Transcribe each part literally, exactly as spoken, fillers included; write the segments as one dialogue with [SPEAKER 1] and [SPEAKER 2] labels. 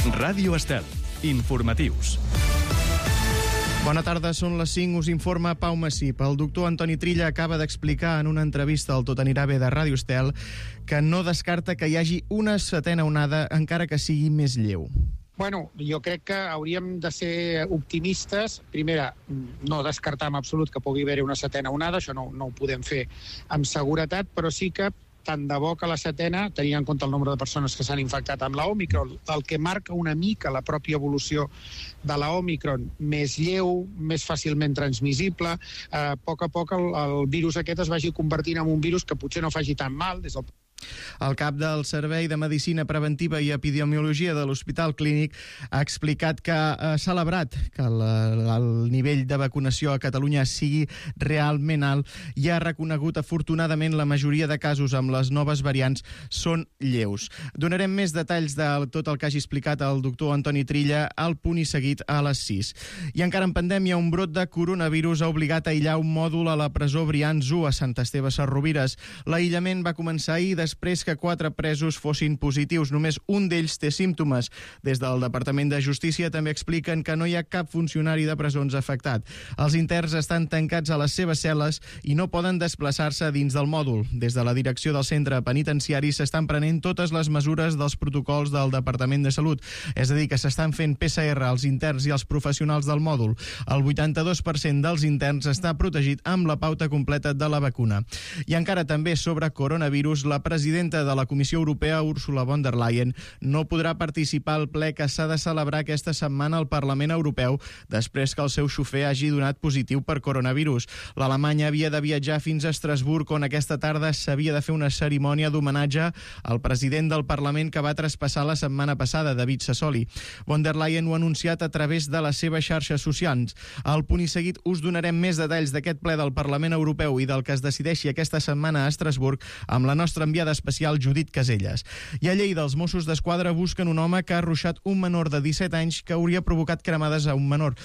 [SPEAKER 1] Ràdio Estel. Informatius.
[SPEAKER 2] Bona tarda, són les cinc, us informa Pau Massip. El doctor Antoni Trilla acaba d'explicar en una entrevista al Tot anirà bé de Ràdio Estel que no descarta que hi hagi una setena onada, encara que sigui més lleu.
[SPEAKER 3] Bueno, jo crec que hauríem de ser optimistes. Primera, no descartar en absolut que pugui haver-hi una setena onada, això no, no ho podem fer amb seguretat, però sí que tant de bo que la setena, tenint en compte el nombre de persones que s'han infectat amb la Òmicron, el que marca una mica la pròpia evolució de la Òmicron, més lleu, més fàcilment transmissible, eh, a poc a poc el, el virus aquest es vagi convertint en un virus que potser no faci tan mal des del
[SPEAKER 2] El cap del Servei de Medicina Preventiva i Epidemiologia de l'Hospital Clínic ha explicat que ha celebrat que el, el nivell de vacunació a Catalunya sigui realment alt i ha reconegut afortunadament la majoria de casos amb les noves variants són lleus. Donarem més detalls de tot el que hagi explicat el doctor Antoni Trilla al punt i seguit a les sis. I encara en pandèmia, un brot de coronavirus ha obligat a aïllar un mòdul a la presó Brians u a Sant Esteve Sesrovires. L'aïllament va començar ahir després que quatre presos fossin positius. Només un d'ells té símptomes. Des del Departament de Justícia també expliquen que no hi ha cap funcionari de presons afectat. Els interns estan tancats a les seves cel·les i no poden desplaçar-se dins del mòdul. Des de la direcció del centre penitenciari s'estan prenent totes les mesures dels protocols del Departament de Salut. És a dir, que s'estan fent P C R als interns i als professionals del mòdul. El vuitanta-dos per cent dels interns està protegit amb la pauta completa de la vacuna. I encara també sobre coronavirus, la presidenta de la Comissió Europea, Ursula von der Leyen, no podrà participar al ple que s'ha de celebrar aquesta setmana al Parlament Europeu després que el seu xofer hagi donat positiu per coronavirus. L'Alemanya havia de viatjar fins a Estrasburg, on aquesta tarda s'havia de fer una cerimònia d'homenatge al president del Parlament que va traspassar la setmana passada, David Sassoli. Von der Leyen ho ha anunciat a través de les seves xarxes socials. Al punt i seguit us donarem més detalls d'aquest ple del Parlament Europeu i del que es decideixi aquesta setmana a Estrasburg amb la nostra enviada especial Judit Caselles. I a Lleida, els Mossos d'Esquadra busquen un home que ha arruixat un menor de disset anys que hauria provocat cremades a un menor.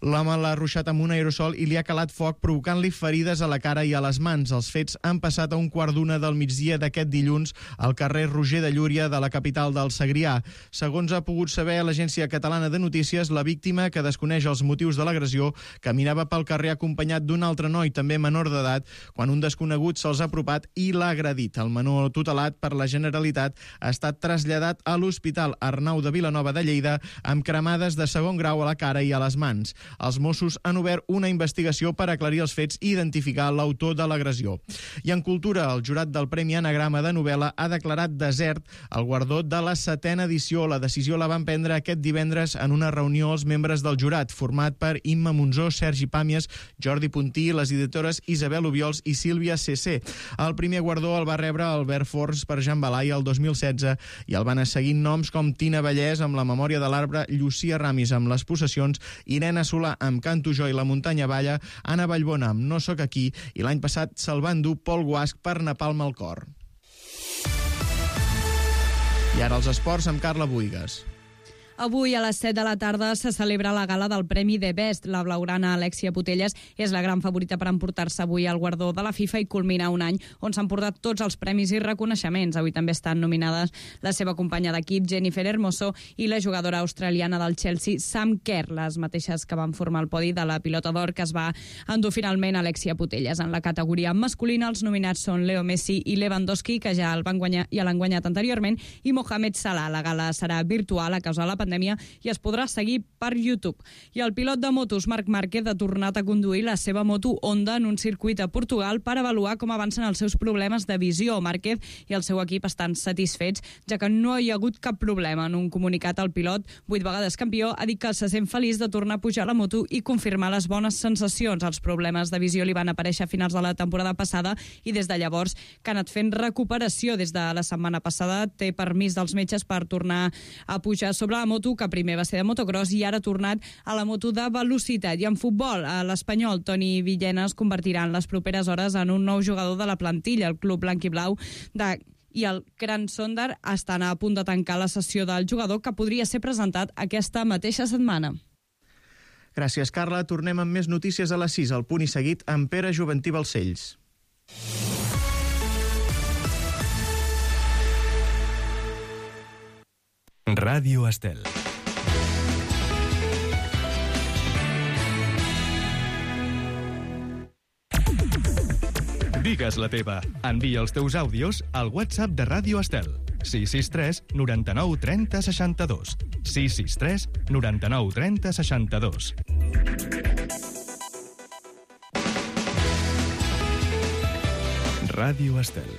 [SPEAKER 2] L'home l'ha arruixat amb un aerosol i li ha calat foc, provocant-li ferides a la cara i a les mans. Els fets han passat a un quart d'una del migdia d'aquest dilluns al carrer Roger de Llúria de la capital del Segrià. Segons ha pogut saber l'Agència Catalana de Notícies, la víctima, que desconeix els motius de l'agressió, caminava pel carrer acompanyat d'un altre noi, també menor d'edat, quan un desconegut se'ls ha apropat i l'ha agredit. El menor, tutelat per la Generalitat, ha estat traslladat a l'Hospital Arnau de Vilanova de Lleida amb cremades de segon grau a la cara i a les mans. Els Mossos han obert una investigació per aclarir els fets i identificar l'autor de l'agressió. I en cultura, el jurat del Premi Anagrama de novel·la ha declarat desert el guardó de la setena edició. La decisió la van prendre aquest divendres en una reunió els membres del jurat, format per Imma Monzó, Sergi Pàmies, Jordi Puntí, les editores Isabel Obiols i Sílvia C C. El primer guardó el va rebre Albert Forns per Jean Balai el dos mil setze i el van seguint noms com Tina Vallès amb La memòria de l'arbre, Llucia Ramis amb Les possessions, Irene Solà amb Canto jo i la muntanya balla, Anna Vallbona amb No soc aquí i l'any passat se'l va endur Pol Guasc per Napalm al cor. I ara els esports amb Carla Buigas.
[SPEAKER 4] Avui a les set de la tarda se celebra la gala del Premi The Best. La blaugrana Alexia Putelles és la gran favorita per emportar-se avui el guardó de la FIFA i culminar un any on s'han portat tots els premis i reconeixements. Avui també estan nominades la seva companya d'equip, Jennifer Hermoso, i la jugadora australiana del Chelsea, Sam Kerr, les mateixes que van formar el podi de la pilota d'or que es va endur finalment Alexia Putelles. En la categoria masculina, els nominats són Leo Messi i Lewandowski, que ja el van guanyar i l'han guanyat anteriorment, i Mohamed Salah. La gala serà virtual a causa de la pandèmia i es podrà seguir per YouTube. I el pilot de motos, Marc Márquez, ha tornat a conduir la seva moto Honda en un circuit a Portugal per avaluar com avancen els seus problemes de visió. Márquez i el seu equip estan satisfets, ja que no hi ha hagut cap problema. En un comunicat, el pilot, vuit vegades campió, ha dit que se sent feliç de tornar a pujar a la moto i confirmar les bones sensacions. Els problemes de visió li van aparèixer a finals de la temporada passada i des de llavors que ha anat fent recuperació. Des de la setmana passada té permís dels metges per tornar a pujar sobre la moto, que primer va ser de motocross i ara ha tornat a la moto de velocitat. I en futbol, l'Espanyol, Toni Villena, es convertirà en les properes hores en un nou jugador de la plantilla. El club blanc i blau de i el Gran Sondar estan a punt de tancar la sessió del jugador, que podria ser presentat aquesta mateixa setmana.
[SPEAKER 2] Gràcies, Carla. Tornem amb més notícies a les sis, al punt i seguit amb Pere Juventí Balcells.
[SPEAKER 1] Ràdio Estel. Digues la teva. Envia els teus àudios al WhatsApp de Ràdio Estel. sis sis tres noranta-nou trenta seixanta-dos. sis sis tres noranta-nou trenta seixanta-dos. Ràdio Estel.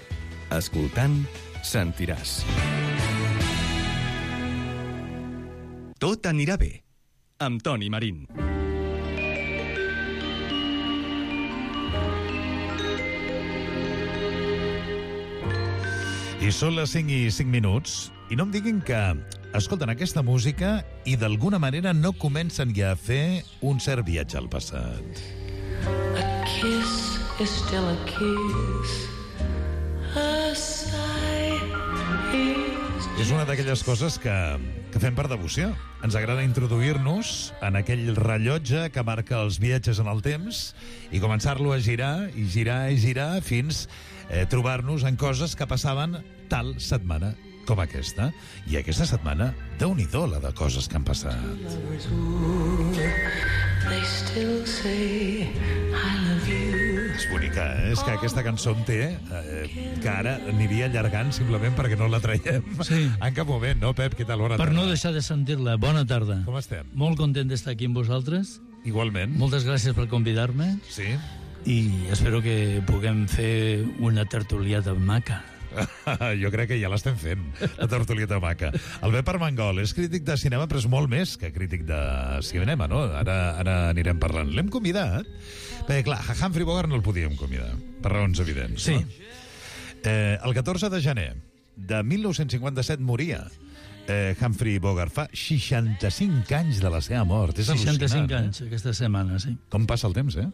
[SPEAKER 1] Escoltant, sentiràs. Tot anirà bé. Amb Toni Marín.
[SPEAKER 5] I són les cinc i cinc minuts, i no em diguin que escolten aquesta música i d'alguna manera no comencen ja a fer un cert viatge al passat.
[SPEAKER 6] A kiss is still a kiss. A sigh is...
[SPEAKER 5] És una d'aquelles coses que, que fem per devoció. Ens agrada introduir-nos en aquell rellotge que marca els viatges en el temps i començar-lo a girar i girar i girar fins eh, trobar-nos en coses que passaven tal setmana com aquesta. I aquesta setmana, déu-n'hi-do la de coses que han passat.
[SPEAKER 6] They still say I love you.
[SPEAKER 5] És bonica, eh? És que aquesta cançó en té eh, que ara aniria allargant simplement perquè no la traiem
[SPEAKER 7] sí.
[SPEAKER 5] en cap moment, no, Pep? Què tal? Bona
[SPEAKER 7] per
[SPEAKER 5] tarda.
[SPEAKER 7] No deixar de sentir-la. Bona tarda.
[SPEAKER 5] Com estem?
[SPEAKER 7] Molt content d'estar aquí amb vosaltres.
[SPEAKER 5] Igualment.
[SPEAKER 7] Moltes gràcies per convidar-me.
[SPEAKER 5] Sí.
[SPEAKER 7] I espero que puguem fer una tertuliata maca.
[SPEAKER 5] Jo crec que ja l'estem fent, la tertulieta maca. El Pep Armengol és crític de cinema, però és molt més que crític de cinema, no? Ara, ara anirem parlant. L'hem convidat, perquè clar, a Humphrey Bogart no el podíem convidar, per raons evidents.
[SPEAKER 7] Sí.
[SPEAKER 5] No? Eh, el catorze de gener de mil nou-cents cinquanta-set moria eh, Humphrey Bogart. Fa seixanta-cinc anys de la seva mort. És
[SPEAKER 7] seixanta-cinc
[SPEAKER 5] al·lucinant,
[SPEAKER 7] anys, eh? Aquesta setmana, sí.
[SPEAKER 5] Com passa el temps, eh?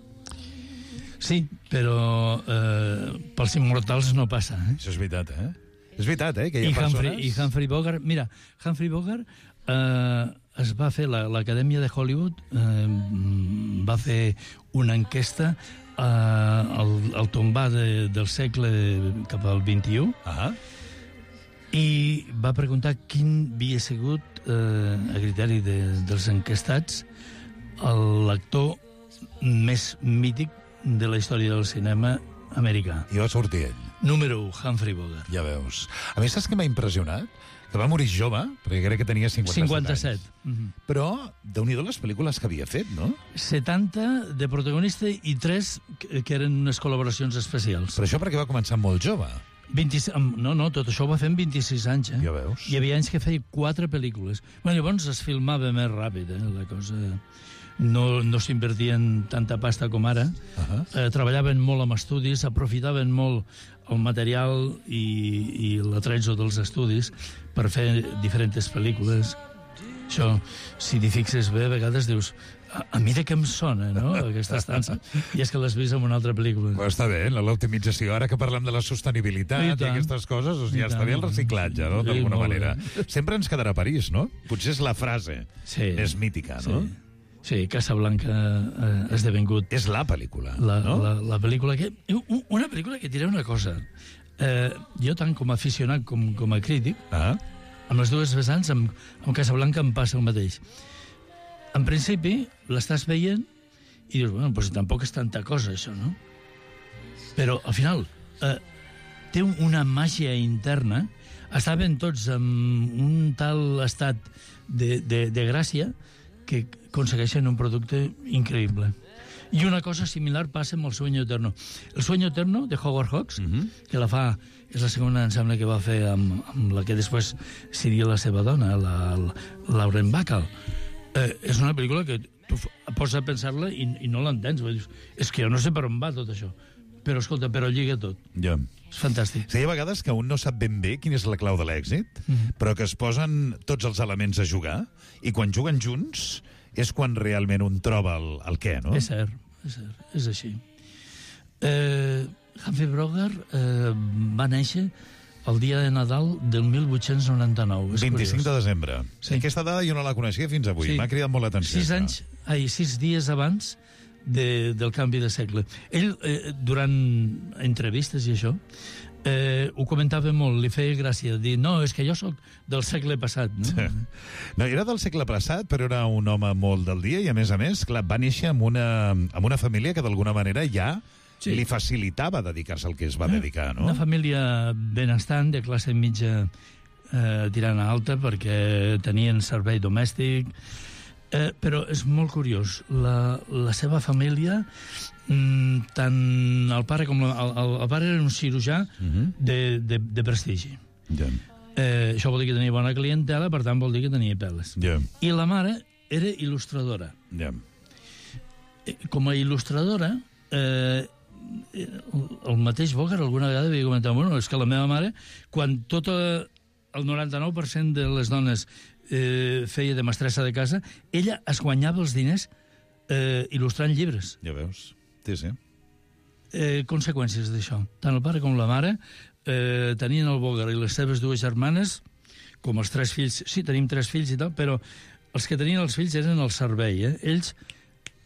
[SPEAKER 7] Sí, però eh, pels immortals no passa, eh?
[SPEAKER 5] Això és veritat, eh? És veritat, eh? Que hi ha
[SPEAKER 7] I Humphrey,
[SPEAKER 5] persones...
[SPEAKER 7] I Humphrey Bogart... Mira, Humphrey Bogart eh, es va fer, l'Acadèmia de Hollywood eh, va fer una enquesta eh, al, al tombar de, del segle cap al vint-i-u
[SPEAKER 5] Ah.
[SPEAKER 7] i va preguntar quin havia sigut, eh, a criteri de, dels enquestats, l'actor més mític de la història del cinema americà.
[SPEAKER 5] I va sortir ell.
[SPEAKER 7] Número u, Humphrey Bogart.
[SPEAKER 5] Ja veus. A més, saps què m'ha impressionat? Que va morir jove, perquè crec que tenia cinquanta-set,
[SPEAKER 7] cinquanta-set.
[SPEAKER 5] anys.
[SPEAKER 7] Mm-hmm.
[SPEAKER 5] Però, déu-n'hi-do les pel·lícules que havia fet, no?
[SPEAKER 7] setanta de protagonista i tres que que eren unes col·laboracions especials.
[SPEAKER 5] Però això perquè va començar molt jove.
[SPEAKER 7] vint-i-sis, no, no, tot això ho va fer en vint-i-sis anys, eh?
[SPEAKER 5] Ja veus.
[SPEAKER 7] Hi havia anys que feia quatre pel·lícules. Bueno, llavors es filmava més ràpid, eh? La cosa... No, no s'invertien tanta pasta com ara.
[SPEAKER 5] Uh-huh.
[SPEAKER 7] eh, treballaven molt amb estudis, aprofitaven molt el material i, i l'atrezo dels estudis per fer diferents pel·lícules. Això, si t'hi fixes bé, a vegades dius a, a mi de què em sona, no?, aquesta estança. I és que l'has vist en una altra pel·lícula.
[SPEAKER 5] Però està bé, l'optimització. Ara que parlem de la sostenibilitat i, i aquestes coses, doncs ja està bé el reciclatge, no?, d'alguna
[SPEAKER 7] sí,
[SPEAKER 5] manera. Sempre ens quedarà a París, no? Potser és la frase
[SPEAKER 7] sí,
[SPEAKER 5] més mítica, no?
[SPEAKER 7] Sí. Sí, Casablanca ha eh, esdevingut...
[SPEAKER 5] És la pel·lícula,
[SPEAKER 7] la,
[SPEAKER 5] no?
[SPEAKER 7] La, la pel·lícula que... Una pel·lícula que diré una cosa. Eh, jo, tant com a aficionat com, com a crític,
[SPEAKER 5] Ah.
[SPEAKER 7] amb les dues vessants, amb, amb Casablanca em passa el mateix. En principi, l'estàs veient i dius, bueno, doncs tampoc és tanta cosa, això, no? Però, al final, eh, té una màgia interna. Estaven tots en un tal estat de, de, de gràcia que aconsegueixen un producte increïble. I una cosa similar passa amb El sueño eterno. El sueño eterno, de Howard Hawks,
[SPEAKER 5] Uh-huh.
[SPEAKER 7] que la fa, és la segona, em sembla, que va fer amb, amb la que després seria la seva dona, la, la Lauren Bacall. Eh, és una pel·lícula que tu pots a pensar-la i, i no l'entens. Dius, és que jo no sé per on va tot això. Però, escolta, però lliga tot.
[SPEAKER 5] Ja.
[SPEAKER 7] És fantàstic.
[SPEAKER 5] Sí, hi ha vegades que un no sap ben bé quina és la clau de l'èxit,
[SPEAKER 7] Mhm.
[SPEAKER 5] però que es posen tots els elements a jugar, i quan juguen junts és quan realment un troba el, el què, no?
[SPEAKER 7] És cert, és cert, és així. Eh, Humphrey Bogart eh, va néixer el dia de Nadal del mil vuit-cents noranta-nou. És
[SPEAKER 5] vint-i-cinc de
[SPEAKER 7] curiós.
[SPEAKER 5] desembre.
[SPEAKER 7] Sí.
[SPEAKER 5] Aquesta dada jo no la coneixia fins avui.
[SPEAKER 7] Sí.
[SPEAKER 5] M'ha cridat molt l'atenció.
[SPEAKER 7] Sis
[SPEAKER 5] això.
[SPEAKER 7] anys, ai, sis dies abans de, del canvi de segle. Ell, eh, durant entrevistes i això, eh, ho comentava molt, li feia gràcia dir, no, és que jo sóc del segle passat. No,
[SPEAKER 5] sí. No, era del segle passat, però era un home molt del dia i, a més a més, clar, va néixer amb una, amb una família que d'alguna manera ja sí. li facilitava dedicar-se al que es va eh, dedicar, no?
[SPEAKER 7] Una família benestant, de classe mitja eh, tirant a alta, perquè tenien servei domèstic. Eh, però és molt curiós, la, la seva família, mm, tant el pare com la, el, el pare era un cirurgià uh-huh. de, de, de prestigi.
[SPEAKER 5] Yeah.
[SPEAKER 7] Eh, això vol dir que tenia bona clientela, per tant vol dir que tenia peles.
[SPEAKER 5] Yeah.
[SPEAKER 7] I la mare era il·lustradora.
[SPEAKER 5] Yeah.
[SPEAKER 7] Eh, com a il·lustradora, eh, el mateix Bogart alguna vegada havia comentat, bueno, és que la meva mare, quan tot el noranta-nou per cent de les dones Eh, feia de mestressa de casa, ella es guanyava els diners eh, il·lustrant llibres.
[SPEAKER 5] Ja veus, sí, sí.
[SPEAKER 7] Eh, conseqüències d'això. Tant el pare com la mare eh, tenien el Bogart i les seves dues germanes, com els tres fills, sí, tenim tres fills i tal, però els que tenien els fills eren el servei, eh? Ells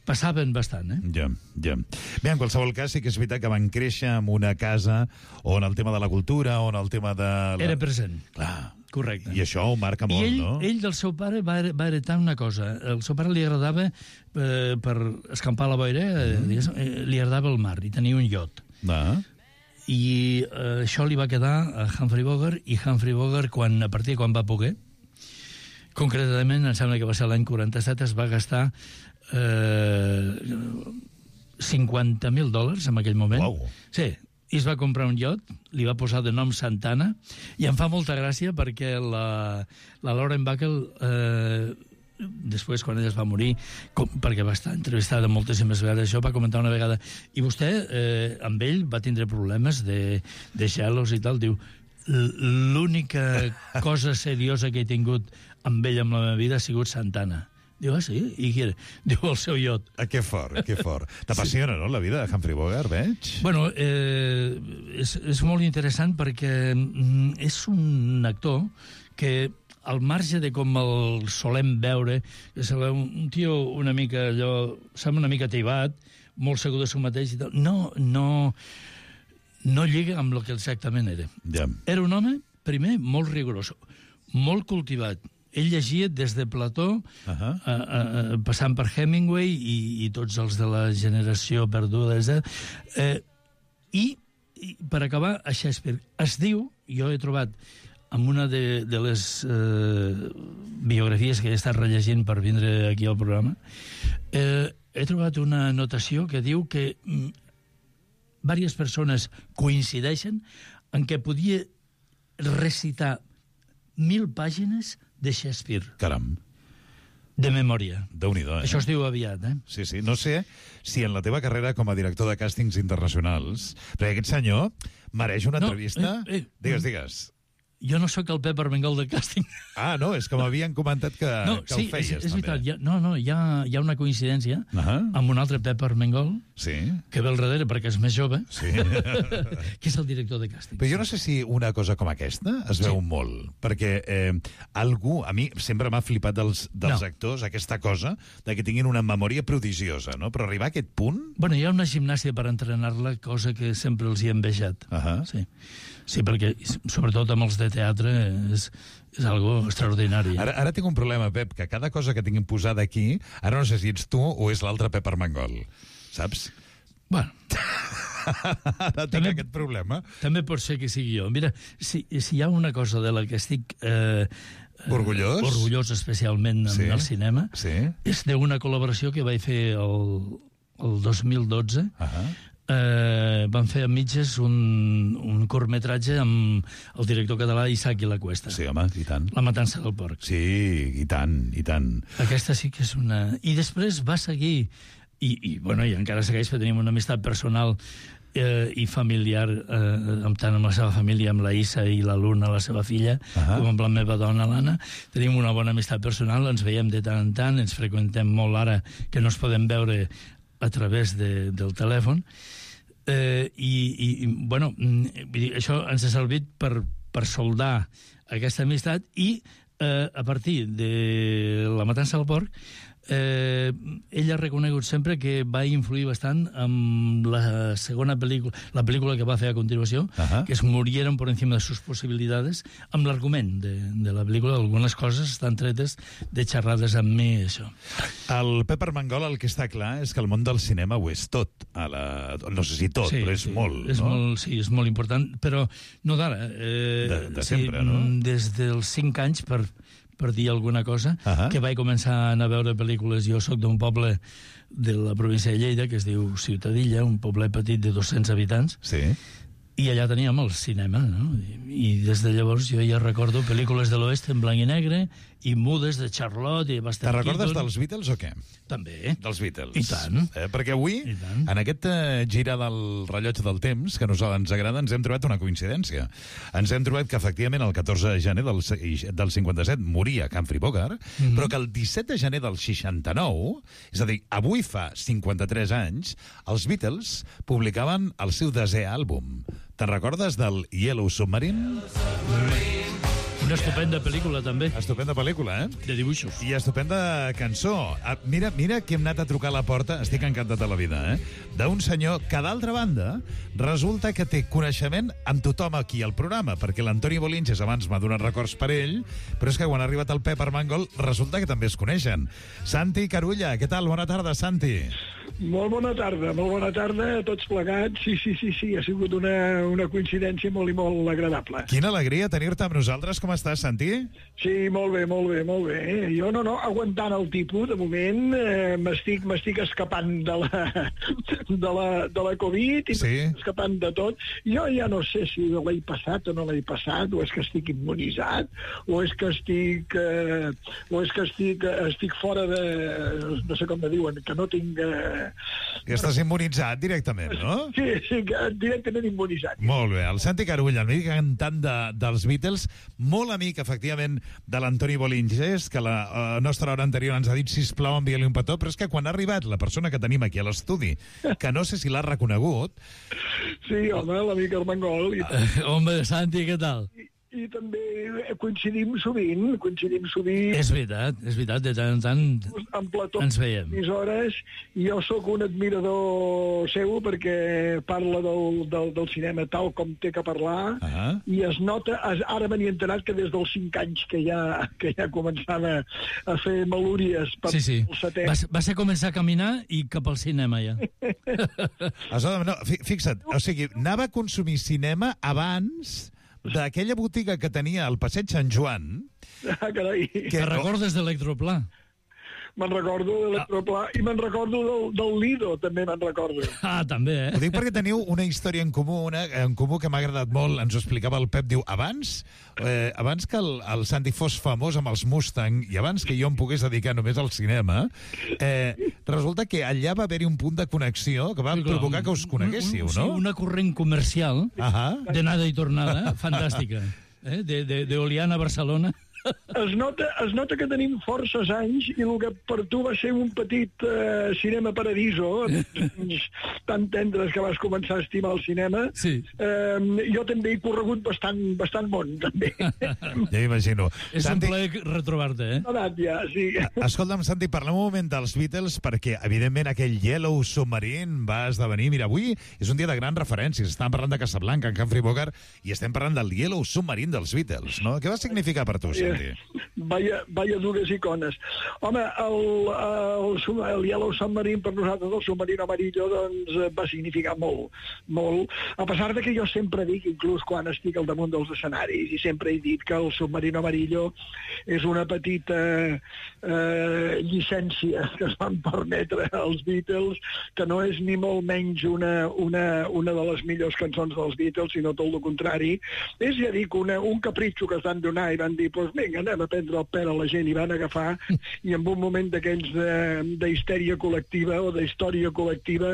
[SPEAKER 7] passaven bastant, eh?
[SPEAKER 5] Ja, ja. Bé, en qualsevol cas, sí que és veritat que van créixer en una casa on el tema de la cultura, on el tema de... La...
[SPEAKER 7] Era present.
[SPEAKER 5] Clar.
[SPEAKER 7] Correcte.
[SPEAKER 5] I això ho marca molt,
[SPEAKER 7] I ell,
[SPEAKER 5] no?
[SPEAKER 7] ell del seu pare va, va heretar una cosa. El seu pare li agradava, eh, per escampar la boira, eh, digues, eh, li agradava el mar, i tenia un iot.
[SPEAKER 5] Ah.
[SPEAKER 7] I eh, això li va quedar a Humphrey Bogart, i Humphrey Bogart, quan, a partir de quan va poder, concretament, em sembla que va ser l'any quaranta-set, es va gastar eh, cinquanta mil dòlars en aquell moment.
[SPEAKER 5] Uau.
[SPEAKER 7] Sí, i es va comprar un iot, li va posar de nom Santana, i em fa molta gràcia perquè la, la Lauren Bacall, eh, després, quan ella es va morir, com, perquè va estar entrevistada moltíssimes vegades, això va comentar una vegada, i vostè, eh, amb ell, va tindre problemes de, de gelos i tal, diu, l'única cosa seriosa que he tingut amb ell en la meva vida ha sigut Santana. Diu, ah, sí? I qui era? Diu, el seu iot.
[SPEAKER 5] Ah, que fort, que fort. T'apassiona, sí. No?, la vida de Humphrey Bogart, veig?
[SPEAKER 7] Bueno, eh, és, és molt interessant perquè mm, és un actor que, al marge de com el solem veure, és un tio una mica allò, sembla una mica tibat, molt segur de si mateix i tal, no, no, no lliga amb el que exactament era.
[SPEAKER 5] Ja.
[SPEAKER 7] Era un home, primer, molt rigorós, molt cultivat. Ell llegia des de Plató, uh -huh. a, a, a, passant per Hemingway i, i tots els de la generació perduda, eh, i, i per acabar, a Shakespeare. Es diu, jo he trobat en una de, de les eh, biografies que he estat rellegint per vindre aquí al programa, eh, he trobat una anotació que diu que mm, diverses persones coincideixen en què podia recitar mil pàgines de Shakespeare.
[SPEAKER 5] Caram.
[SPEAKER 7] De memòria.
[SPEAKER 5] Déu-n'hi-do, eh?
[SPEAKER 7] Això es diu aviat, eh?
[SPEAKER 5] Sí, sí. No sé si en la teva carrera com a director de càstings internacionals, perquè aquest senyor mereix una
[SPEAKER 7] no,
[SPEAKER 5] entrevista...
[SPEAKER 7] Eh, eh,
[SPEAKER 5] digues, digues.
[SPEAKER 7] Jo no sóc el Pep Armengol de càsting.
[SPEAKER 5] Ah, no, és que m'havien comentat que,
[SPEAKER 7] no,
[SPEAKER 5] que
[SPEAKER 7] sí,
[SPEAKER 5] ho feies,
[SPEAKER 7] és, és
[SPEAKER 5] també.
[SPEAKER 7] veritat. Hi ha, no, no, hi ha, hi ha una coincidència
[SPEAKER 5] uh -huh.
[SPEAKER 7] amb un altre Pep Armengol,
[SPEAKER 5] sí.
[SPEAKER 7] que ve al darrere perquè és més jove,
[SPEAKER 5] sí.
[SPEAKER 7] que és el director de càsting.
[SPEAKER 5] Però jo no sé si una cosa com aquesta es veu sí. molt, perquè eh, algú, a mi sempre m'ha flipat dels, dels no. actors aquesta cosa de que tinguin una memòria prodigiosa, no? Però arribar a aquest punt...
[SPEAKER 7] Bueno, hi ha una gimnàsia per entrenar-la, cosa que sempre els hi he envejat.
[SPEAKER 5] Uh -huh.
[SPEAKER 7] Sí. Sí, perquè, sobretot amb els de teatre, és, és algo extraordinari.
[SPEAKER 5] Ara, ara tinc un problema, Pep, que cada cosa que tinguin posada aquí, ara no sé si ets tu o és l'altre Pep Armengol, saps?
[SPEAKER 7] Bueno.
[SPEAKER 5] Ara tinc també, aquest problema.
[SPEAKER 7] També pot ser que sigui jo. Mira, si, si hi ha una cosa de la que estic... Eh,
[SPEAKER 5] orgullós?
[SPEAKER 7] Eh, orgullós especialment
[SPEAKER 5] sí.
[SPEAKER 7] en el cinema,
[SPEAKER 5] sí.
[SPEAKER 7] és d'una col·laboració que vaig fer el, el dos mil dotze.
[SPEAKER 5] Uh -huh.
[SPEAKER 7] Eh, van fer a mitges un, un curtmetratge amb el director català Isaac i la Cuesta.
[SPEAKER 5] Sí, home, i tant.
[SPEAKER 7] La matança del porc.
[SPEAKER 5] Sí, i tant, i tant.
[SPEAKER 7] Aquesta sí que és una... I després va seguir, i, i, bueno, i encara segueix, perquè tenim una amistat personal eh, i familiar, eh, amb, tant amb la seva família, amb la Issa i la Luna, la seva filla, uh -huh. com amb la meva dona, l'Anna. Tenim una bona amistat personal, ens veiem de tant en tant, ens freqüentem molt ara que no es podem veure a través de, del telèfon. Eh, i, i, bueno, vull dir, això ens ha servit per, per soldar aquesta amistat i eh, a partir de la matança del porc eh, ell ha reconegut sempre que va influir bastant en la segona pel·lícula, la pel·lícula que va fer a continuació, uh-huh. que es murieron por encima de sus posibilidades, amb l'argument de, de la pel·lícula. Algunes coses estan tretes de xerrades amb mi, això.
[SPEAKER 5] El Pep Armengol, el que està clar és que el món del cinema ho és tot. A la... No sé si tot, sí, però és
[SPEAKER 7] sí,
[SPEAKER 5] molt,
[SPEAKER 7] és
[SPEAKER 5] no?
[SPEAKER 7] molt. Sí, és molt important, però no d'ara. Eh,
[SPEAKER 5] de, de
[SPEAKER 7] sí,
[SPEAKER 5] sempre, no?
[SPEAKER 7] Des dels cinc anys, per... per dir alguna cosa,
[SPEAKER 5] uh-huh.
[SPEAKER 7] que vaig començar a anar a veure pel·lícules. Jo sóc d'un poble de la província de Lleida, que es diu Ciutadilla, un poble petit de dos-cents habitants,
[SPEAKER 5] sí.
[SPEAKER 7] i allà teníem el cinema, no? I, i des de llavors jo ja recordo pel·lícules de l'oest en blanc i negre, i mudes de Charlotte i Buster
[SPEAKER 5] Te recordes
[SPEAKER 7] Keaton.
[SPEAKER 5] dels Beatles o què?
[SPEAKER 7] També.
[SPEAKER 5] Dels Beatles.
[SPEAKER 7] I tant.
[SPEAKER 5] Eh, perquè avui, en aquest eh, gira del rellotge del temps, que a nosaltres ens agrada, ens hem trobat una coincidència. Ens hem trobat que, efectivament, el catorze de gener del, del cinquanta-set moria Humphrey Bogart, mm-hmm. però que el disset de gener del seixanta-nou, és a dir, avui fa cinquanta-tres anys, els Beatles publicaven el seu desè àlbum. Te'n recordes del Yellow Submarine?
[SPEAKER 7] Una estupenda pel·lícula, també.
[SPEAKER 5] Estupenda pel·lícula, eh?
[SPEAKER 7] De dibuixos.
[SPEAKER 5] I estupenda cançó. Ah, mira, mira que hem anat a trucar a la porta, estic encantat de la vida, eh? D'un senyor que, d'altra banda, resulta que té coneixement amb tothom aquí al programa, perquè l'Antoni Bolinges abans m'ha donat records per ell, però és que quan ha arribat el Pep Armengol resulta que també es coneixen. Santi Carulla, què tal? Bona tarda, Santi.
[SPEAKER 8] Molt bona tarda, molt bona tarda a tots plegats. Sí, sí, sí, sí, ha sigut una, una coincidència molt i molt agradable.
[SPEAKER 5] Quina alegria tenir-te amb nosaltres. Com estàs, Santi?
[SPEAKER 8] Sí, molt bé, molt bé, molt bé. Jo no, no, aguantant el tipus, de moment, eh, m'estic m'estic escapant de la, de la, de la Covid i sí. m'estic escapant de tot. Jo ja no sé si l'he passat o no l'he passat, o és que estic immunitzat, o és que estic, eh, o és que estic, estic fora de... no sé com me diuen, que no tinc... Eh,
[SPEAKER 5] I estàs immunitzat directament, no?
[SPEAKER 8] Sí, sí, directament immunitzat.
[SPEAKER 5] Molt bé. El Santi Carulla, el mític cantant de, dels Beatles, molt amic, efectivament, de l'Antoni Bolinges, que la uh, nostra hora anterior ens ha dit, sisplau, envia-li un petó, però és que quan ha arribat la persona que tenim aquí a l'estudi, que no sé si l'ha reconegut...
[SPEAKER 8] Sí, home, l'amic Armengol. I...
[SPEAKER 7] Uh, home, Santi, què tal?
[SPEAKER 8] I, i també coincidim sovint, coincidim sovint...
[SPEAKER 7] És veritat, és veritat, de tant en tant
[SPEAKER 8] en plató,
[SPEAKER 7] ens veiem.
[SPEAKER 8] Hores, i jo sóc un admirador seu perquè parla del, del, del cinema tal com té que parlar, uh-huh. i es nota, es, ara me n'he enterat que des dels cinc anys que ja, que ja començava a fer malúries per
[SPEAKER 7] sí, sí.
[SPEAKER 8] el setè.
[SPEAKER 7] Va, va ser començar a caminar i cap al cinema ja.
[SPEAKER 5] no, fixa't, o sigui, anava a consumir cinema abans... d'aquella botiga que tenia al Passeig Sant Joan...
[SPEAKER 8] Ah, carai.
[SPEAKER 7] Que te recordes d'Electroplà?
[SPEAKER 8] Me'n recordo d'Electroplà ah. i me'n recordo del, del Lido, també me'n recordo.
[SPEAKER 7] Ah, també, eh?
[SPEAKER 5] Ho dic perquè teniu una història en comú, una, en comú que m'ha agradat molt, ens ho explicava el Pep, diu, abans, eh, abans que el, el Santi fos famós amb els Mustang i abans que jo em pogués dedicar només al cinema, eh, resulta que allà va haver-hi un punt de connexió que va sí, provocar que us coneguéssiu,
[SPEAKER 7] un, un,
[SPEAKER 5] no?
[SPEAKER 7] Sí, una corrent comercial
[SPEAKER 5] uh-huh.
[SPEAKER 7] d'anada i tornada, fantàstica, eh? de, de, de Oliana a Barcelona.
[SPEAKER 8] Es nota, es nota que tenim forces anys i el que per tu va ser un petit uh, cinema paradiso, tan tendres que vas començar a estimar el cinema,
[SPEAKER 7] sí.
[SPEAKER 8] uh, jo també he corregut bastant, bastant món, també.
[SPEAKER 5] Ja imagino.
[SPEAKER 7] És
[SPEAKER 5] Santi...
[SPEAKER 7] un plaer retrobar-te, eh?
[SPEAKER 8] Edat, ja, sí.
[SPEAKER 5] Escolta'm, Santi, parlem un moment dels Beatles, perquè, evidentment, aquell Yellow Submarine va esdevenir... Mira, avui és un dia de grans referències. Estem parlant de Casablanca, en Humphrey Bogart, i estem parlant del Yellow Submarine dels Beatles, no? Què va significar per tu, Santi?
[SPEAKER 8] Vaya, vaya dures icones. Home, el, el, el Yellow Submarine per nosaltres, el submarino amarillo, doncs va significar molt, molt. A pesar de que jo sempre dic, inclús quan estic al damunt dels escenaris, i sempre he dit que el submarino amarillo és una petita eh, llicència que es van permetre als Beatles, que no és ni molt menys una, una, una de les millors cançons dels Beatles, sinó tot el contrari. És, ja dic, una, un capritxo que es van donar i van dir, doncs pues, vinga, anem a prendre el pèl a la gent, i van agafar, i en un moment d'aquells d'histèria col·lectiva o d'història col·lectiva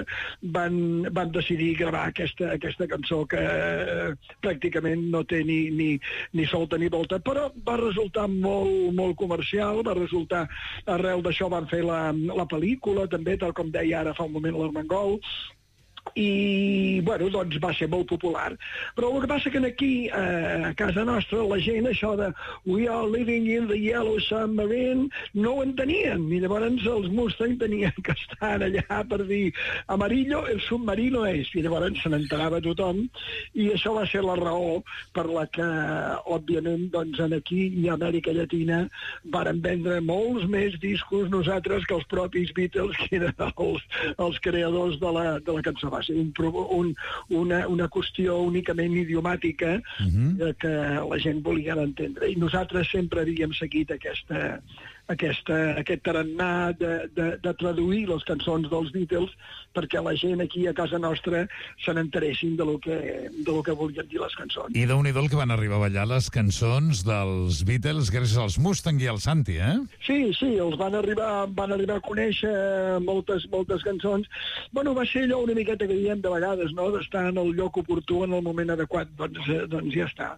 [SPEAKER 8] van, van decidir gravar aquesta, aquesta cançó que eh, pràcticament no té ni, ni, ni solta ni volta, però va resultar molt, molt comercial, va resultar, arrel d'això van fer la, la pel·lícula, també, tal com deia ara fa un moment l'Armengol, i, bueno, doncs va ser molt popular. Però el que passa que aquí, eh, a casa nostra, la gent, això de "We are living in the yellow submarine", no ho entenien, i llavors els Mustang tenien que estar allà per dir "amarillo, el submarino és", i llavors se n'enterava tothom, i això va ser la raó per la que, òbviament, doncs, aquí i a Amèrica Llatina varen vendre molts més discos nosaltres que els propis Beatles, que eren els, els creadors de la, de la cançó. Va ser un, un, una, una qüestió únicament idiomàtica uh-huh. que la gent volia entendre. I nosaltres sempre havíem seguit aquesta, aquesta, aquest tarannà de, de, de traduir les cançons dels Beatles perquè la gent aquí a casa nostra se n'enteressin de lo que, de lo que volien dir les cançons.
[SPEAKER 5] I déu-n'hi-do el que van arribar a ballar les cançons dels Beatles gràcies als Mustang i al Santi, eh?
[SPEAKER 8] Sí, sí, els van arribar, van arribar a conèixer moltes, moltes cançons. Bueno, va ser allò una miqueta que diem de vegades, no?, d'estar en el lloc oportú en el moment adequat. Doncs, eh, doncs ja està.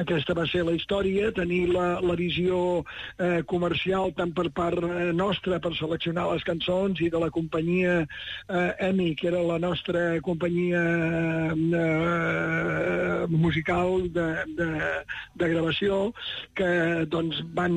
[SPEAKER 8] Aquesta va ser la història, tenir la, la visió eh, comercial tant per part nostra per seleccionar les cançons i de la companyia eh, EMI, que era la nostra companyia eh, musical de, de, de gravació, que doncs van,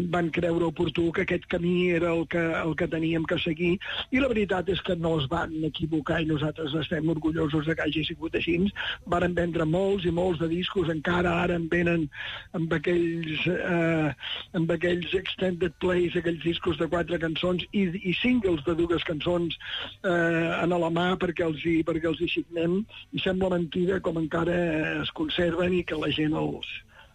[SPEAKER 8] van creure oportú que aquest camí era el que, el que teníem que seguir, i la veritat és que no es van equivocar i nosaltres estem orgullosos de que hagi sigut així. Varen vendre molts i molts de discos, encara ara en venen amb aquells, eh, amb aquells extended plays, aquells discos de quatre cançons i, i singles de dues cançons eh, en la mà perquè els, hi, perquè els hi signem, i sembla mentida com encara es conserven i que la gent els,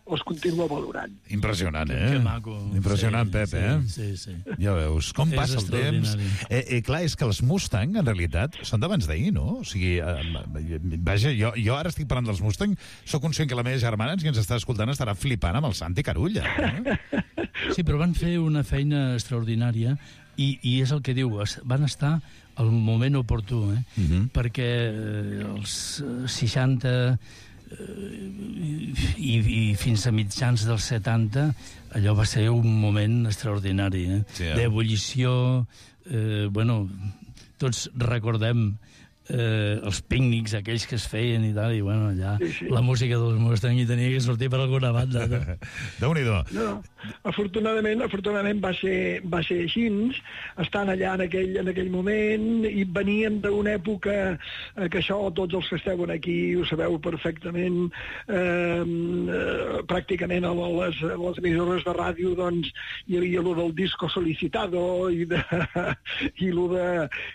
[SPEAKER 8] els continua valorant.
[SPEAKER 5] Impressionant, eh?
[SPEAKER 7] Que maco.
[SPEAKER 5] Impressionant,
[SPEAKER 7] sí,
[SPEAKER 5] Pep,
[SPEAKER 7] sí,
[SPEAKER 5] eh?
[SPEAKER 7] Sí, sí.
[SPEAKER 5] Ja veus, com
[SPEAKER 7] És
[SPEAKER 5] passa el temps. Eh, eh, clar, és que els Mustang, en realitat, són d'abans d'ahir, no? O sigui, eh, vaja, jo, jo ara estic parlant dels Mustang, sóc conscient que la meva germana, que ens està escoltant, estarà flipant amb el Santi Carulla. Eh?
[SPEAKER 7] Sí, però van fer una feina extraordinària i, i és el que diu, van estar al moment oportú, eh? Uh-huh. Perquè els seixanta i, i fins a mitjans dels setanta allò va ser un moment extraordinari, eh? Sí, eh? D'ebullició, eh, bueno, tots recordem eh, els pícnics aquells que es feien i tal, i bueno, allà sí, sí. La música dels Mustang hi tenia que sortir per alguna banda. No?
[SPEAKER 5] Déu-n'hi-do.
[SPEAKER 8] No, afortunadament, afortunadament va ser, va ser així, estant allà en aquell, en aquell moment, i veníem d'una època eh, que això, tots els que esteu aquí ho sabeu perfectament, eh, eh, pràcticament a les, a les emissores de ràdio doncs hi havia lo del disco solicitado i, de, i lo de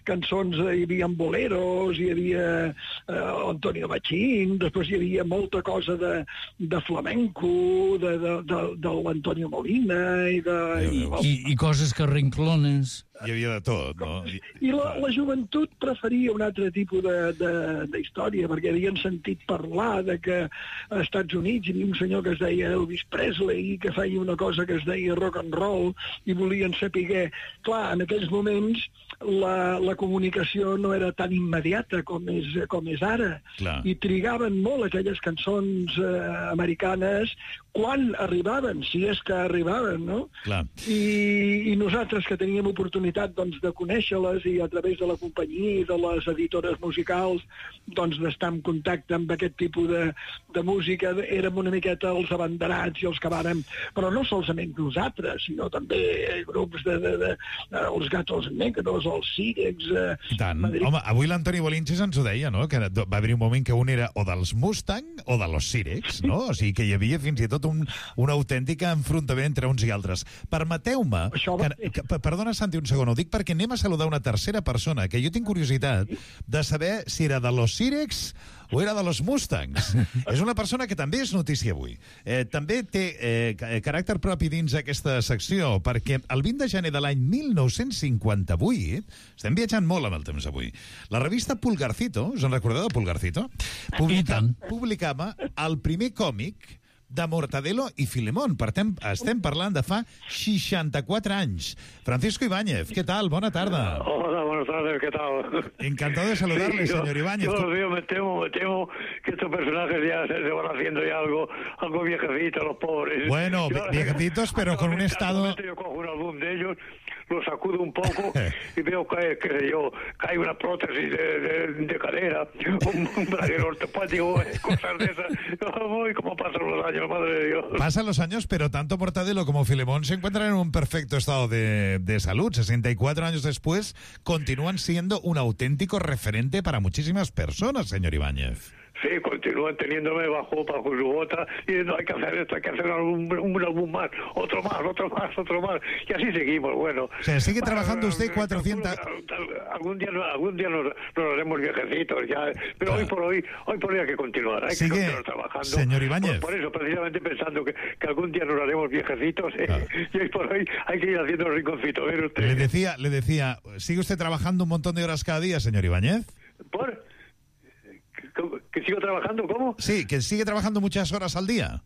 [SPEAKER 8] cançons, hi havia boleros, hi havia eh, Antonio Machín, després hi havia molta cosa de, de flamenco, de, de, de, de l'Antonio Molina i de...
[SPEAKER 7] I, i, i coses que rinclones.
[SPEAKER 5] Hi havia de tot, no?
[SPEAKER 8] I, i la, la joventut preferia un altre tipus de, de, de història, perquè havien sentit parlar de que als Estats Units hi havia un senyor que es deia Elvis Presley, que feia una cosa que es deia rock and roll, i volien saber... Clar, en aquells moments la, la comunicació no era tan immediata com és, com és ara. Clar. I trigaven molt aquelles cançons eh, americanes quan arribaven, si és que arribaven, no?
[SPEAKER 5] Clar.
[SPEAKER 8] I, i nosaltres que teníem oportunitat doncs, de conèixer-les i a través de la companyia i de les editores musicals doncs, d'estar en contacte amb aquest tipus de, de música, érem una miqueta els abanderats i els que vàrem, però no solament nosaltres, sinó també grups de, de, de, de els Gatos Negros, els Sírex... Eh,
[SPEAKER 5] I tant. Home, avui l'Antoni Bolinches ens ho deia, no?, que va haver un moment que un era o dels Mustang o de los Sírex, no? O sigui, que hi havia fins i tot un, un autèntic enfrontament entre uns i altres. Permeteu-me... Que, que, perdona, Santi, un segon, ho dic perquè anem a saludar una tercera persona, que jo tinc curiositat de saber si era de los Sírex o era de los Mustangs. És una persona que també és notícia avui. Eh, també té eh, caràcter propi dins aquesta secció, perquè el vint de gener de l'any mil nou-cents cinquanta-vuit, estem viatjant molt amb el temps avui, la revista Pulgarcito, us en recordeu de Pulgarcito? Publica, publicava el primer còmic de Mortadelo i Filemón. Per tem, estem parlant de fa seixanta-quatre anys. Francisco Ibáñez, ¿qué tal? Bona tarda.
[SPEAKER 9] Hola, buenas tardes, ¿qué tal?
[SPEAKER 5] Encantado de saludarle, sí, yo, señor Ibáñez.
[SPEAKER 9] Yo los veo, me temo, me temo que estos personajes ya se, se van haciendo ya algo, algo viejecitos, los pobres.
[SPEAKER 5] Bueno,
[SPEAKER 9] yo,
[SPEAKER 5] viejecitos, pero con un estado...
[SPEAKER 9] Yo cojo un álbum de ellos, lo sacudo un poco y veo que, qué sé yo, que hay una prótesis de, de, de cadera, un, un braguero ortopático, cosas de esas. Uy, cómo pasan los años, madre de Dios.
[SPEAKER 5] Pasan los años, pero tanto Mortadelo como Filemón se encuentran en un perfecto estado de, de salud. sesenta y cuatro años después, continúan siendo un auténtico referente para muchísimas personas, señor Ibáñez.
[SPEAKER 9] Sí, continúan teniéndome bajo, bajo su bota y diciendo hay que hacer esto, hay que hacer algún, un álbum más, otro más, otro más, otro más. Y así seguimos, bueno.
[SPEAKER 5] O sea, sigue trabajando usted cuatrocientos...
[SPEAKER 9] Algún día, algún día nos, nos haremos viejecitos, ya, pero claro. hoy por hoy, hoy por hoy hay que continuar, hay
[SPEAKER 5] sigue,
[SPEAKER 9] que continuar trabajando.
[SPEAKER 5] Señor Ibáñez.
[SPEAKER 9] Por, por eso, precisamente pensando que, que algún día nos haremos viejecitos, eh, claro. y hoy por hoy hay que ir haciendo el rinconcito. ¿Ver usted?
[SPEAKER 5] Le decía, le decía, ¿sigue usted trabajando un montón de horas cada día, señor Ibáñez?
[SPEAKER 9] ¿Por? ¿Que sigo trabajando? ¿Cómo?
[SPEAKER 5] Sí, que sigue trabajando muchas horas al día.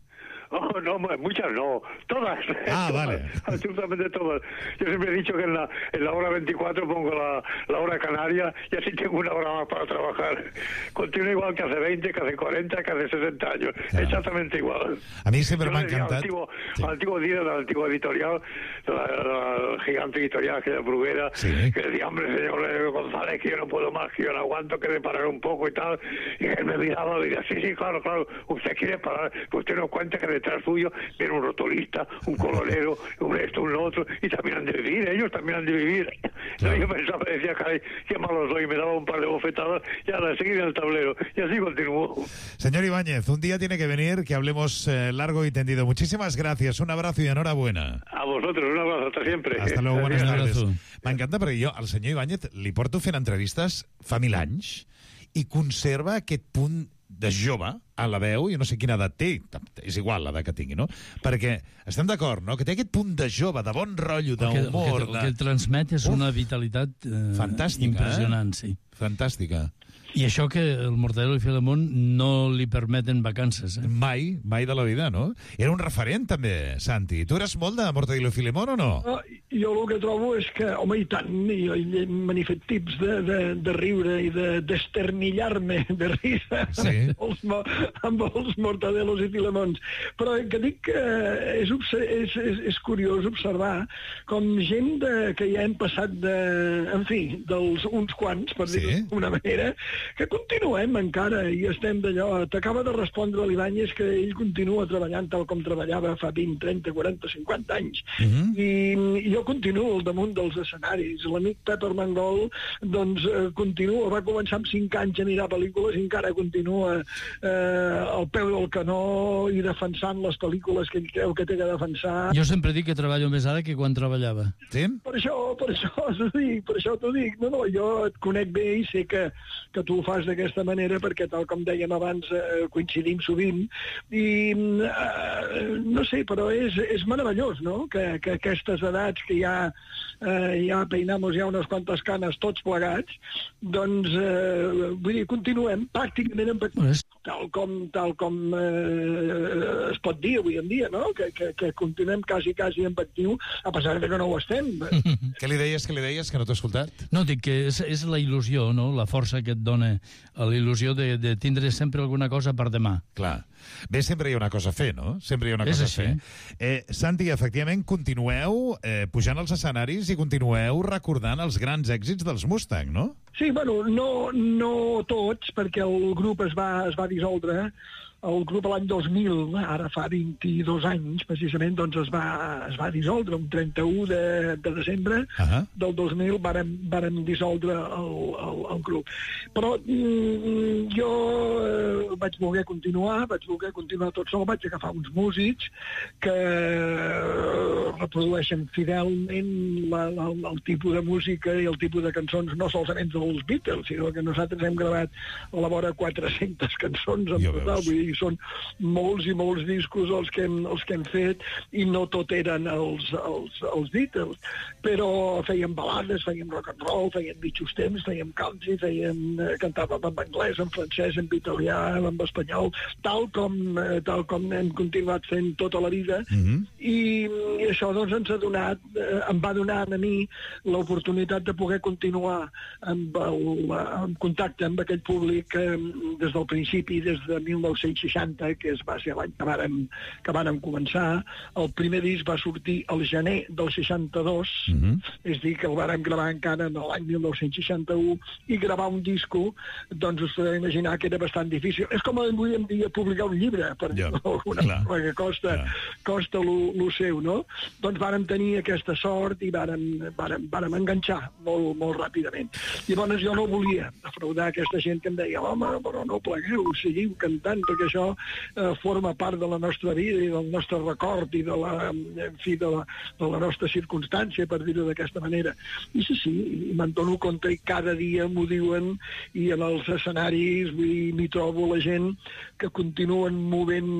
[SPEAKER 9] Oh, no, muchas no, todas.
[SPEAKER 5] Ah,
[SPEAKER 9] todas,
[SPEAKER 5] vale.
[SPEAKER 9] Absolutamente todas. Yo siempre he dicho que en la, en la hora veinticuatro pongo la, la hora canaria y así tengo una hora más para trabajar. Continúo igual que hace veinte, que hace cuarenta, que hace sesenta años. Claro. Exactamente igual.
[SPEAKER 5] A mí siempre
[SPEAKER 9] Yo
[SPEAKER 5] me ha
[SPEAKER 9] decía,
[SPEAKER 5] encantado.
[SPEAKER 9] Al antiguo,
[SPEAKER 5] sí.
[SPEAKER 9] al antiguo líder, al antiguo editorial, la, la gigante editorial, que era Bruguera,
[SPEAKER 5] sí.
[SPEAKER 9] que decía, hombre, señor González, que yo no puedo más, que yo no aguanto, que de parar un poco y tal. Y él me miraba y decía, sí, sí, claro, claro, usted quiere parar, pues usted no cuenta que detrás suyo viene un rotulista, un colorero, un esto, un otro, y también han de vivir, ellos también han de vivir. Claro. Yo pensaba, decía, caray, qué malo soy, me daba un par de bofetadas y ahora seguir en el tablero. Y así continuó.
[SPEAKER 5] Señor Ibáñez, un día tiene que venir, que hablemos eh, largo y tendido. Muchísimas gracias, un abrazo y enhorabuena.
[SPEAKER 9] A vosotros, un abrazo, hasta siempre.
[SPEAKER 5] Hasta luego, buenas tardes.
[SPEAKER 7] Abrazo.
[SPEAKER 5] M'encanta perquè jo, al senyor Ibáñez, li porto fent entrevistes fa mil anys i conserva aquest punt de jove a la veu, i no sé quina edat té, és igual l'edat que tingui, no? Perquè estem d'acord, no?, que té aquest punt de jove, de bon rotllo, d'humor...
[SPEAKER 7] El, el, el que el transmet és Uf, una vitalitat eh,
[SPEAKER 5] fantàstica,
[SPEAKER 7] impressionant,
[SPEAKER 5] eh?
[SPEAKER 7] sí.
[SPEAKER 5] Fantàstica.
[SPEAKER 7] I això que el Mortadelo i Filemón no li permeten vacances, eh?
[SPEAKER 5] Mai, mai de la vida, no? Era un referent, també, Santi. Tu eres molt de Mortadelo i Filemón o no?
[SPEAKER 8] no jo el que trobo és que, home, i tant, jo me n'he fet tips de, de, de riure i de d'esternillar-me de risa sí. amb, els, amb els Mortadelos i Filemons. Però que dic que és, és, és, és curiós observar com gent de, que ja hem passat de, en fi, dels uns quants, per sí. dir-ho d'una manera, que continuem encara i estem d'allò. T'acaba de respondre l'Ibáñez que ell continua treballant tal com treballava fa vint, trenta, quaranta, cinquanta anys. Uh -huh. I, I jo continuo al damunt dels escenaris. L'amic Pep Armengol, doncs, eh, continua, va començar amb cinc anys a mirar pel·lícules i encara continua eh, al peu del canó i defensant les pel·lícules que ell creu que té que defensar.
[SPEAKER 7] Jo sempre dic que treballo més ara que quan treballava.
[SPEAKER 5] Sí?
[SPEAKER 8] Per això, per això t'ho dic, per això t'ho dic. No, no, jo et conec bé i sé que, que tu ho fas d'aquesta manera perquè, tal com dèiem abans, eh, coincidim sovint i eh, no sé, però és, és meravellós, no?, que, que aquestes edats que ja, eh, ja peinamos ja unes quantes canes tots plegats, doncs, eh, vull dir, continuem pràcticament amb, tal com, tal com eh, es pot dir avui en dia, no?, que, que, que continuem quasi, quasi en actiu, a pesar de que no ho estem.
[SPEAKER 5] Què li deies, què li deies, que no t'he escoltat?
[SPEAKER 7] No, dic que és, és la il·lusió, no?, la força que et dona la il·lusió de, de tindre sempre alguna cosa per demà.
[SPEAKER 5] Clar. Bé, sempre hi ha una cosa a fer, no? Sempre hi ha una
[SPEAKER 7] és
[SPEAKER 5] cosa
[SPEAKER 7] així.
[SPEAKER 5] a fer. Eh, Santi, efectivament, continueu eh, pujant als escenaris i continueu recordant els grans èxits dels Mustang, no?
[SPEAKER 8] Sí, bueno, no, no tots, perquè el grup es va, es va dissoldre. El grup l'any dos mil, ara fa vint-i-dos anys, precisament, doncs es va, es va dissoldre, un trenta-u de, de desembre uh -huh. del dos mil vàrem, vàrem dissoldre el, el, el grup. Però mm, jo eh, vaig voler continuar, vaig voler continuar tot sol, vaig agafar uns músics que reprodueixen fidelment la, la, el tipus de música i el tipus de cançons, no solament dels Beatles, sinó que nosaltres hem gravat a la vora quatre-centes cançons en total, vull dir, són molts i molts discos els que hem, els que hem fet i no tot eren els, els, els Beatles, però fèiem balades, fèiem rock and roll, fèiem mitjos temps, fèiem country, fèiem, eh, cantàvem en anglès, en francès, en italià, en espanyol, tal com, eh, tal com hem continuat fent tota la vida. Mm-hmm. I, i això doncs ens ha donat, eh, em va donar a mi l'oportunitat de poder continuar amb el, amb contacte amb aquell públic eh, des del principi principi, des de mil nou-cents seixanta, que es va ser l'any que vàrem, que vàrem començar. El primer disc va sortir al gener del seixanta-dos, mm-hmm. és a dir, que el vàrem gravar encara en l'any mil nou-cents seixanta-u, i gravar un disco, doncs us podeu imaginar que era bastant difícil. És com avui en dia publicar un llibre, per ja, alguna cosa que costa, ja. costa lo, lo seu, no? Doncs vàrem tenir aquesta sort i vàrem, vàrem, vàrem enganxar molt, molt ràpidament. Llavors jo no volia defraudar aquesta gent que em deia, home, però no plegueu, seguiu cantant, perquè això eh, forma part de la nostra vida i del nostre record i de la, en fi, de la, de la nostra circumstància, per dir-ho d'aquesta manera. I sí, sí, i me'n dono compte i cada dia m'ho diuen, i en els escenaris m'hi trobo la gent que continuen movent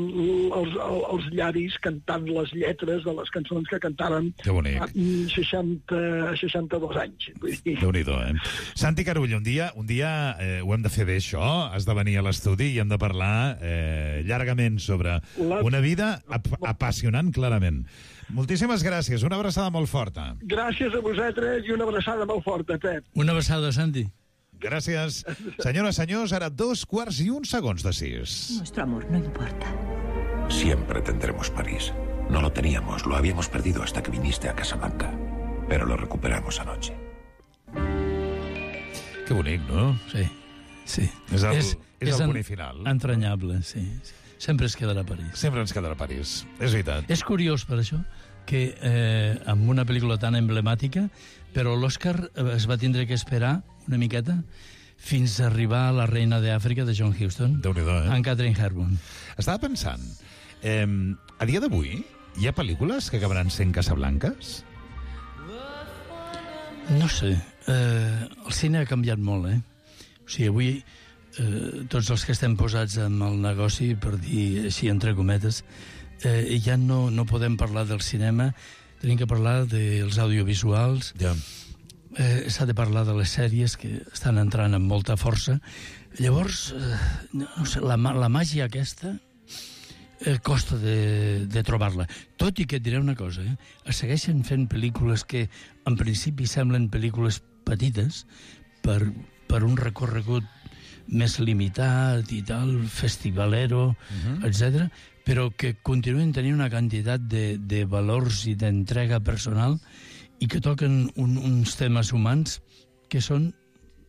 [SPEAKER 8] els, els llavis cantant les lletres de les cançons que cantàvem a seixanta, seixanta-dos anys.
[SPEAKER 5] Déu-n'hi-do, eh? Santi Carull, un dia, un dia eh, ho hem de fer bé, això. Has de venir a l'estudi i hem de parlar eh, llargament sobre la... una vida ap apassionant, clarament. Moltíssimes gràcies. Una abraçada molt forta.
[SPEAKER 8] Gràcies a vosaltres i una abraçada molt forta, Pep.
[SPEAKER 7] Una abraçada, Santi.
[SPEAKER 5] Gràcies. Senyores, senyors, ara dos quarts i un segons de sis.
[SPEAKER 6] Nuestro amor no importa.
[SPEAKER 10] Siempre tendremos París. No lo teníamos, lo habíamos perdido hasta que viniste a Casablanca. Pero lo recuperamos anoche.
[SPEAKER 5] Que bonic, no?
[SPEAKER 7] Sí, sí.
[SPEAKER 5] És el,
[SPEAKER 7] és,
[SPEAKER 5] és
[SPEAKER 7] és
[SPEAKER 5] el
[SPEAKER 7] en,
[SPEAKER 5] punt final.
[SPEAKER 7] Entranyable, sí. Sempre es quedarà a París.
[SPEAKER 5] Sempre ens quedarà a París. És veritat.
[SPEAKER 7] És curiós, per això, que eh, amb una pel·lícula tan emblemàtica, però l'Oscar es va tindre que esperar una miqueta fins a arribar a La reina d'Àfrica de John Huston.
[SPEAKER 5] Déu-n'hi-do, eh?
[SPEAKER 7] En Catherine Hepburn.
[SPEAKER 5] Estava pensant, eh, a dia d'avui hi ha pel·lícules que acabaran sent Casablanques?
[SPEAKER 7] No sé. Eh, el cine ha canviat molt, eh? O sigui, avui eh, tots els que estem posats en el negoci, per dir així entre cometes, eh, ja no, no podem parlar del cinema, tenim que parlar dels audiovisuals,
[SPEAKER 5] ja.
[SPEAKER 7] eh, s'ha de parlar de les sèries que estan entrant amb molta força. Llavors, eh, no sé, la, la màgia aquesta eh, costa de, de trobar-la. Tot i que et diré una cosa, eh? Es segueixen fent pel·lícules que en principi semblen pel·lícules petites per, per un recorregut més limitat i tal, festivalero, uh-huh. etcètera, però que continuen tenint una quantitat de, de valors i d'entrega personal i que toquen un, uns temes humans que són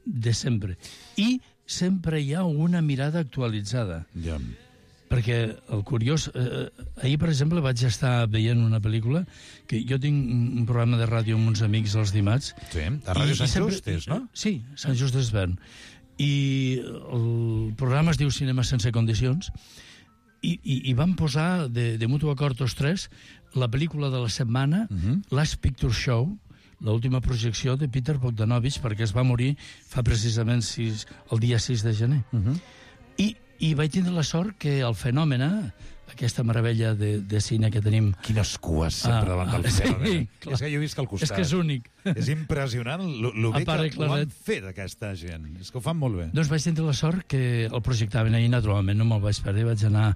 [SPEAKER 7] de sempre. I sempre hi ha una mirada actualitzada.
[SPEAKER 5] Ja.
[SPEAKER 7] Perquè el curiós... Eh, ahir, per exemple, vaig estar veient una pel·lícula que jo tinc un programa de ràdio amb uns amics els dimarts.
[SPEAKER 5] Sí, a Ràdio Sant sempre, Just és, no?
[SPEAKER 7] Sí, Sant Just d'Esvern. I el programa es diu Cinema sense condicions i, i, i van posar de, de mutu acord tots tres la pel·lícula de la setmana, uh-huh. Last Picture Show, l'última projecció de Peter Bogdanovich, perquè es va morir fa precisament sis, el dia sis de gener. Uh-huh. I I vaig tindre la sort que el Fenomen, aquesta meravella de, de cine que tenim...
[SPEAKER 5] Quines cues sempre ah, davant del Fenomen.
[SPEAKER 7] Sí,
[SPEAKER 5] és que jo he vist que al costat...
[SPEAKER 7] És que és únic.
[SPEAKER 5] És impressionant el bé que ho han fet, aquesta gent. És que ho fan molt bé.
[SPEAKER 7] Doncs vaig tindre la sort que el projectaven ahir, naturalment, no me'l vaig perdre, vaig anar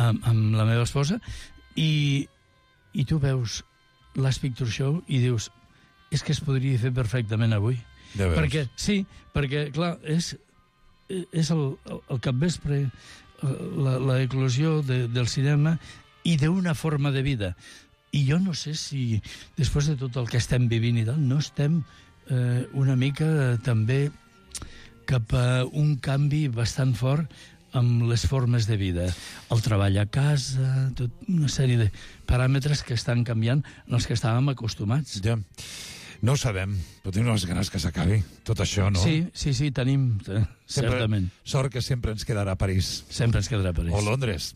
[SPEAKER 7] amb, amb la meva esposa, i, i tu veus Last Picture Show i dius, és que es podria fer perfectament avui.
[SPEAKER 5] Ja veus.
[SPEAKER 7] Perquè, sí, perquè, clar, és... és el, el, el capvespre, la, la eclosió de, del cinema i d'una forma de vida. I jo no sé si, després de tot el que estem vivint i tal, no estem eh, una mica eh, també cap a un canvi bastant fort amb les formes de vida. El treball a casa, tot una sèrie de paràmetres que estan canviant en els que estàvem acostumats.
[SPEAKER 5] Ja. No ho sabem, però tenim les ganes que s'acabi tot això, no?
[SPEAKER 7] Sí, sí, sí, tenim, eh,
[SPEAKER 5] sempre,
[SPEAKER 7] certament.
[SPEAKER 5] Sort que sempre ens quedarà a París.
[SPEAKER 7] Sempre ens quedarà a París.
[SPEAKER 5] O Londres.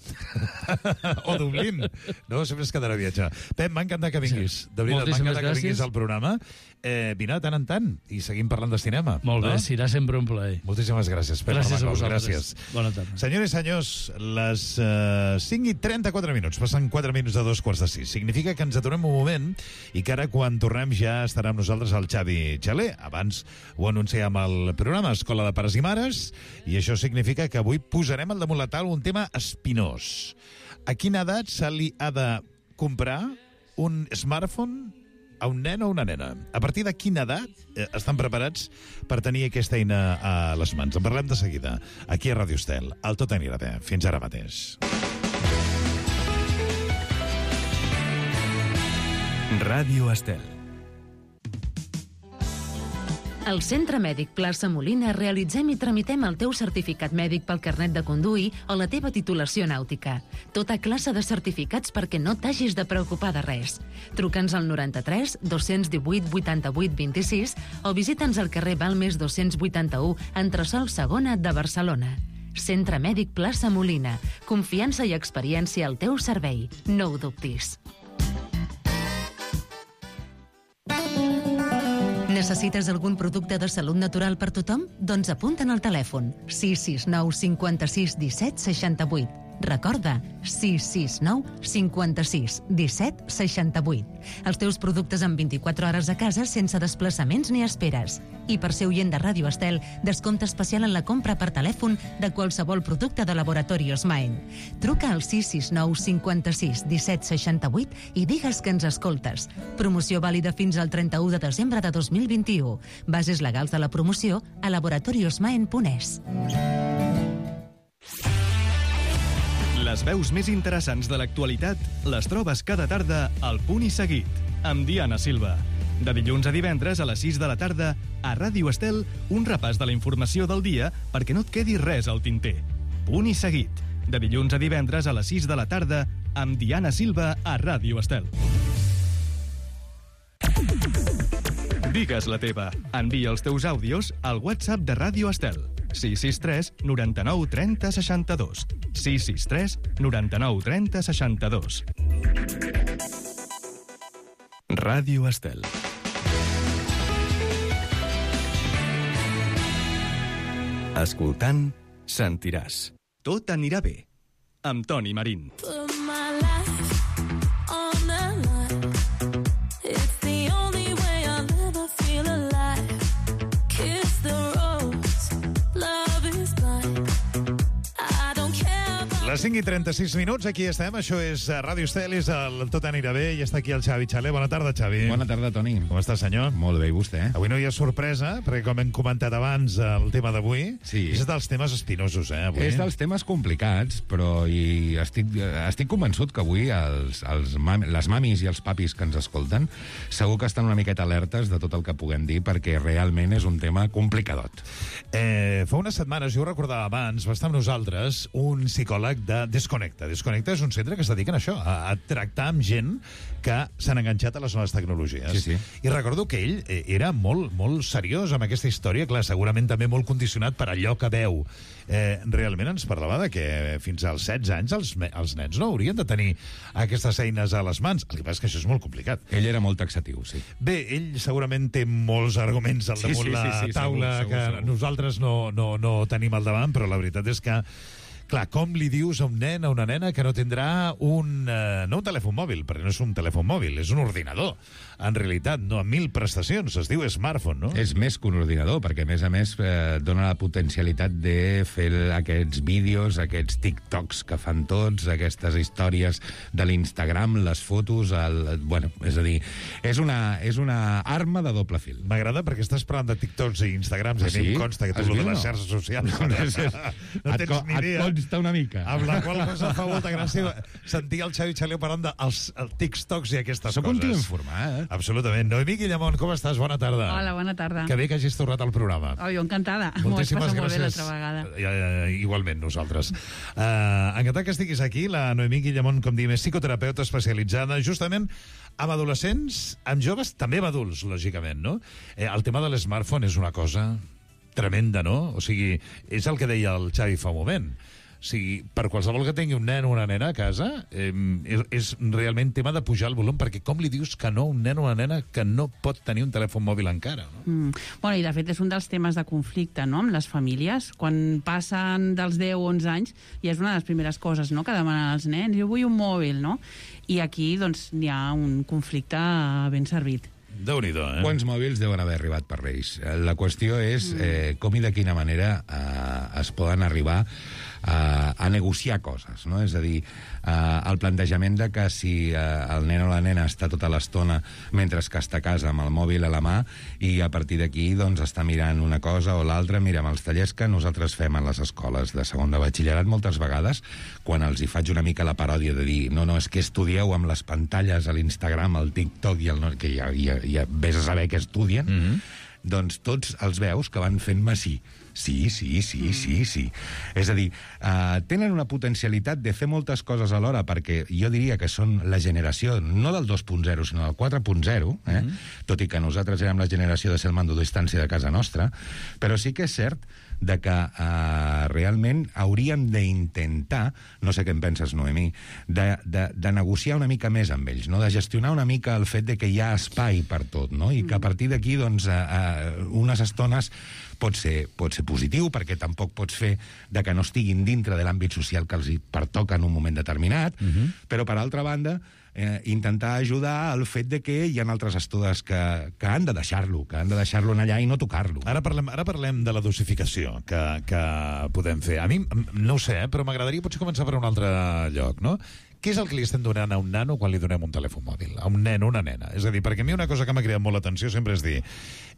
[SPEAKER 5] O Dublín. No, sempre ens quedarà a viatjar. Pep, m'ha encantat que vinguis. Sí. De veritat, m'ha encantat que vinguis al programa. Eh, vine de tant en tant i seguim parlant de cinema.
[SPEAKER 7] Molt bé,
[SPEAKER 5] no?
[SPEAKER 7] serà sempre un plaer.
[SPEAKER 5] Moltíssimes gràcies, Pep.
[SPEAKER 7] Gràcies a vosaltres.
[SPEAKER 5] Gràcies.
[SPEAKER 7] Bona tarda.
[SPEAKER 5] Senyores i senyors, les uh, cinc i trenta-quatre minuts, passen quatre minuts de dos quarts de sis. Significa que ens aturem un moment i que ara, quan tornem, ja estarà amb nosaltres el Xavi Xaler. Abans ho anunciàvem al programa Escola de Pares i Mares, i això significa que avui posarem al damunt la taula un tema espinós. A quina edat se li ha de comprar un smartphone a un nen o una nena? A partir de quina edat eh, estan preparats per tenir aquesta eina a les mans? En parlem de seguida, aquí a Ràdio Estel. El Tot anirà bé. Fins ara mateix.
[SPEAKER 1] Ràdio Estel.
[SPEAKER 11] Al Centre Mèdic Plaça Molina realitzem i tramitem el teu certificat mèdic pel carnet de conduir o la teva titulació nàutica. Tota classe de certificats perquè no t'hagis de preocupar de res. Truca'ns al noranta-tres dos-cents divuit vuitanta-vuit vint-i-sis o visita'ns al carrer Balmes dos-cents vuitanta-u, entresòl segona de Barcelona. Centre Mèdic Plaça Molina. Confiança i experiència al teu servei. No ho dubtis. Necessites algun producte de salut natural per tothom? Doncs apunta'n al telèfon sis sis nou cinquanta-sis disset seixanta-vuit. Recorda, sis sis nou cinquanta-sis disset seixanta-vuit. Els teus productes en vint-i-quatre hores a casa sense desplaçaments ni esperes. I per ser oient de Ràdio Estel, descompte especial en la compra per telèfon de qualsevol producte de Laboratorios Maen. Truca al sis sis nou cinquanta-sis disset seixanta-vuit i digues que ens escoltes. Promoció vàlida fins al trenta-u de desembre de dos mil vint-i-u. Bases legals de la promoció a laboratoriosmaen punt es.
[SPEAKER 1] Les veus més interessants de l'actualitat les trobes cada tarda al Punt i Seguit, amb Diana Silva. De dilluns a divendres a les sis de la tarda, a Ràdio Estel, un repàs de la informació del dia perquè no et quedi res al tinter. Punt i Seguit, de dilluns a divendres a les sis de la tarda, amb Diana Silva a Ràdio Estel. Digues la teva. Envia els teus àudios al WhatsApp de Ràdio Estel. sis sis tres noranta-nou trenta seixanta-dos. sis sis tres noranta-nou trenta seixanta-dos. Ràdio Estel. Escoltant, sentiràs. Tot anirà bé. Amb Toni Marín.
[SPEAKER 5] Les cinc i trenta-sis minuts, aquí estem. Això és Ràdio Estel, és el Tot anirà bé, i està aquí el Xavi Xaler. Bona tarda, Xavi.
[SPEAKER 12] Bona tarda, Toni.
[SPEAKER 5] Com està, senyor?
[SPEAKER 12] Molt bé, i vostè?
[SPEAKER 5] Avui no hi ha sorpresa, perquè com hem comentat abans el tema d'avui,
[SPEAKER 12] sí.
[SPEAKER 5] És dels temes espinosos, eh, avui.
[SPEAKER 12] És dels temes complicats, però i estic, estic convençut que avui els, els mam, les mamis i els papis que ens escolten segur que estan una miqueta alertes de tot el que puguem dir, perquè realment és un tema complicadot.
[SPEAKER 5] Eh, fa unes setmanes, jo ho recordava abans, va estar amb nosaltres un psicòleg de Desconnecta. Desconnecta és un centre que es dediquen a això, a, a tractar amb gent que s'han enganxat a les noves tecnologies.
[SPEAKER 12] Sí, sí.
[SPEAKER 5] I recordo que ell eh, era molt, molt seriós amb aquesta història, clar, segurament també molt condicionat per allò que veu. Eh, realment ens parlava de que fins als setze anys els, els nens no haurien de tenir aquestes eines a les mans. El que passa és que això és molt complicat.
[SPEAKER 12] Ell era molt taxatiu, sí.
[SPEAKER 5] Bé, ell segurament té molts arguments al damunt sí, sí, sí, sí, la taula segur, segur, que segur. Nosaltres no, no, no tenim al davant, però la veritat és que clar, com li dius a un nen, a una nena, que no tindrà un... Eh, no un telèfon mòbil, perquè no és un telèfon mòbil, és un ordinador. En realitat, no, amb mil prestacions, es diu smartphone, no?
[SPEAKER 12] És més que un ordinador, perquè a més a més eh, dona la potencialitat de fer aquests vídeos, aquests TikToks que fan tots, aquestes històries de l'Instagram, les fotos, el, bueno, és a dir, és una, és una arma de doble fil.
[SPEAKER 5] M'agrada perquè estàs parlant de TikToks i Instagrams, ah, i sí? A mi em consta que tu lo de les xarxes socials no, no, no tens ni idea.
[SPEAKER 12] Consta una mica.
[SPEAKER 5] Amb la qual cosa fa molta gràcia sentir el Xavi Xaler parlant dels TikToks i aquestes
[SPEAKER 12] Soc
[SPEAKER 5] coses.
[SPEAKER 12] Soc un tio informat. Eh?
[SPEAKER 5] Absolutament. Noemí Guillamont, com estàs? Bona tarda.
[SPEAKER 13] Hola, bona tarda.
[SPEAKER 5] Que bé que hagis tornat al programa.
[SPEAKER 13] Oh, jo encantada.
[SPEAKER 5] Moltíssimes
[SPEAKER 13] M'ho has passat
[SPEAKER 5] gràcies.
[SPEAKER 13] molt bé l'altra vegada.
[SPEAKER 5] Uh, igualment, nosaltres. Uh, encantat que estiguis aquí. La Noemí Guillamont, com diem, és psicoterapeuta especialitzada justament amb adolescents, amb joves, també amb adults, lògicament, no? Eh, el tema de l'smartphone és una cosa tremenda, no? O sigui, és el que deia el Xavi fa un moment. O sigui, per qualsevol que tingui un nen o una nena a casa, eh, és, és realment tema de pujar el volum, perquè com li dius que no a un nen o una nena que no pot tenir un telèfon mòbil encara? No?
[SPEAKER 13] Mm. Bueno, i de fet és un dels temes de conflicte, no?, amb les famílies. Quan passen dels deu o onze anys, i és una de les primeres coses, no?, que demanen els nens, jo vull un mòbil, no? I aquí, doncs, hi ha un conflicte ben servit.
[SPEAKER 5] Déu-n'hi-do, eh?
[SPEAKER 12] Quants mòbils deuen haver arribat per Reis? La qüestió és eh, com i de quina manera eh, es poden arribar a, a negociar coses, no? És a dir, uh, el plantejament de que si uh, el nen o la nena està tota l'estona mentre que està a casa amb el mòbil a la mà i a partir d'aquí doncs, està mirant una cosa o l'altra, mirem els tallers que nosaltres fem a les escoles de segon de batxillerat moltes vegades, quan els hi faig una mica la paròdia de dir no, no, és que estudieu amb les pantalles a l'Instagram, al TikTok, i el, que ja, ja, ja vés a saber què estudien, mm-hmm. doncs tots els veus que van fent-me sí. Sí, sí, sí, mm. sí, sí. És a dir, uh, tenen una potencialitat de fer moltes coses alhora, perquè jo diria que són la generació, no del dos punt zero, sinó del quatre punt zero, eh? Mm. Tot i que nosaltres érem la generació de ser el mando a distància de casa nostra, però sí que és cert de que uh, realment hauríem d'intentar, no sé què en penses, Noemí, de, de, de negociar una mica més amb ells, no? De gestionar una mica el fet de que hi ha espai per tot, no? I que a partir d'aquí, doncs, uh, uh, unes estones pot ser, pot ser positiu, perquè tampoc pots fer de que no estiguin dintre de l'àmbit social que els hi pertoca en un moment determinat, uh-huh. però, per altra banda, eh, intentar ajudar al fet de que hi ha altres estudes que, que han de deixar-lo, que han de deixar-lo allà i no tocar-lo.
[SPEAKER 5] Ara parlem, ara parlem de la dosificació que, que podem fer. A mi, no ho sé, eh, però m'agradaria potser començar per un altre lloc, no? Què és el que li estem donant a un nano quan li donem un telèfon mòbil? A un nen o una nena? És a dir, perquè a mi una cosa que m'ha cridat molt l'atenció sempre és dir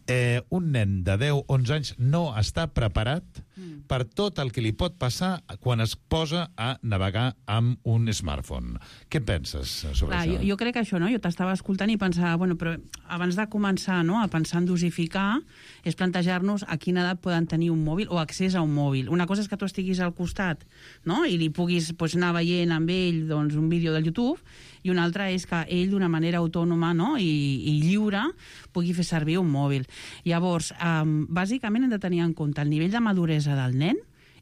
[SPEAKER 5] eh, un nen de deu a onze anys no està preparat mm. per tot el que li pot passar quan es posa a navegar amb un smartphone. Què penses sobre
[SPEAKER 13] Clar,
[SPEAKER 5] això?
[SPEAKER 13] Jo, jo crec que això, no? Jo t'estava escoltant i pensava, bueno, però abans de començar, no?, a pensar en dosificar, és plantejar-nos a quina edat poden tenir un mòbil o accés a un mòbil. Una cosa és que tu estiguis al costat, no?, i li puguis pues, anar veient amb ell doncs, un vídeo del YouTube, i una altra és que ell d'una manera autònoma, no?, i, i lliure pugui fer servir un mòbil. Llavors, um, bàsicament hem de tenir en compte el nivell de maduresa del nen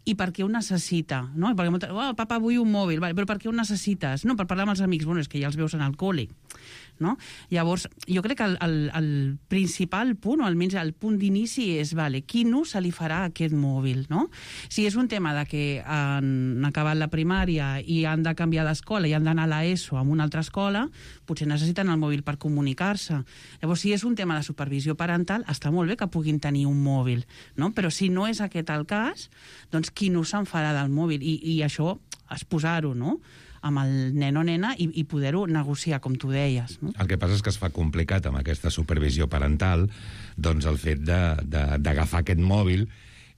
[SPEAKER 13] i per què ho necessita, no? Perquè molta... oh, papa, vull un mòbil, vale, però per què ho necessites? No, per parlar amb els amics, bueno, és que ja els veus en el col·le, no? Llavors, jo crec que el, el, el principal punt, o almenys el punt d'inici és, vale, quin ús se li farà a aquest mòbil, no? Si és un tema de que han acabat la primària i han de canviar d'escola i han d'anar a l'ESO a una altra escola, potser necessiten el mòbil per comunicar-se. Llavors, si és un tema de supervisió parental, està molt bé que puguin tenir un mòbil, no? Però si no és aquest el cas, doncs quin ús se'n farà del mòbil? I, i això, es posar-ho, no?, amb el nen o nena i, i poder-ho negociar, com tu deies. No?
[SPEAKER 12] El que passa és que es fa complicat amb aquesta supervisió parental doncs el fet d'agafar aquest mòbil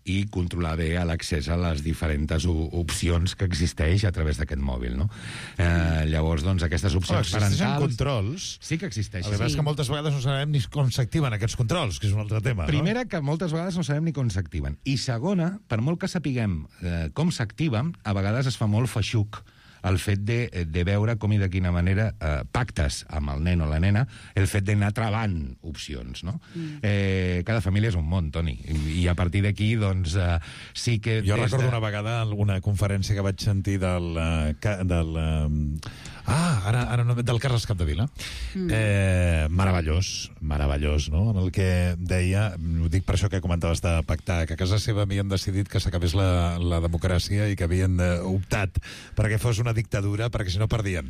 [SPEAKER 12] i controlar bé l'accés a les diferents opcions que existeix a través d'aquest mòbil, no? Eh, llavors, doncs, aquestes opcions
[SPEAKER 5] oh, existeixen
[SPEAKER 12] parentals...
[SPEAKER 5] controls.
[SPEAKER 12] Sí que existeixen.
[SPEAKER 5] El que passa és que moltes vegades no sabem ni com s'activen aquests controls, que és un altre tema,
[SPEAKER 12] Primera,
[SPEAKER 5] no?
[SPEAKER 12] que moltes vegades no sabem ni com s'activen. I segona, per molt que sapiguem eh, com s'activen, a vegades es fa molt feixuc el fet de, de veure com i de quina manera eh, pactes amb el nen o la nena el fet d'anar travant opcions, no? Mm. Eh, cada família és un món, Toni, i, i a partir d'aquí, doncs, eh, sí que...
[SPEAKER 5] Jo recordo
[SPEAKER 12] de...
[SPEAKER 5] una vegada una conferència que vaig sentir del... Uh, del uh, ah, ara, ara no, del Carles Capdevila. Mm. Eh, meravellós, meravellós, no? En el que deia, ho dic per això que comentaves de pactar, que a casa seva havien decidit que s'acabés la, la democràcia i que havien optat perquè fos una dictadura, perquè si no perdien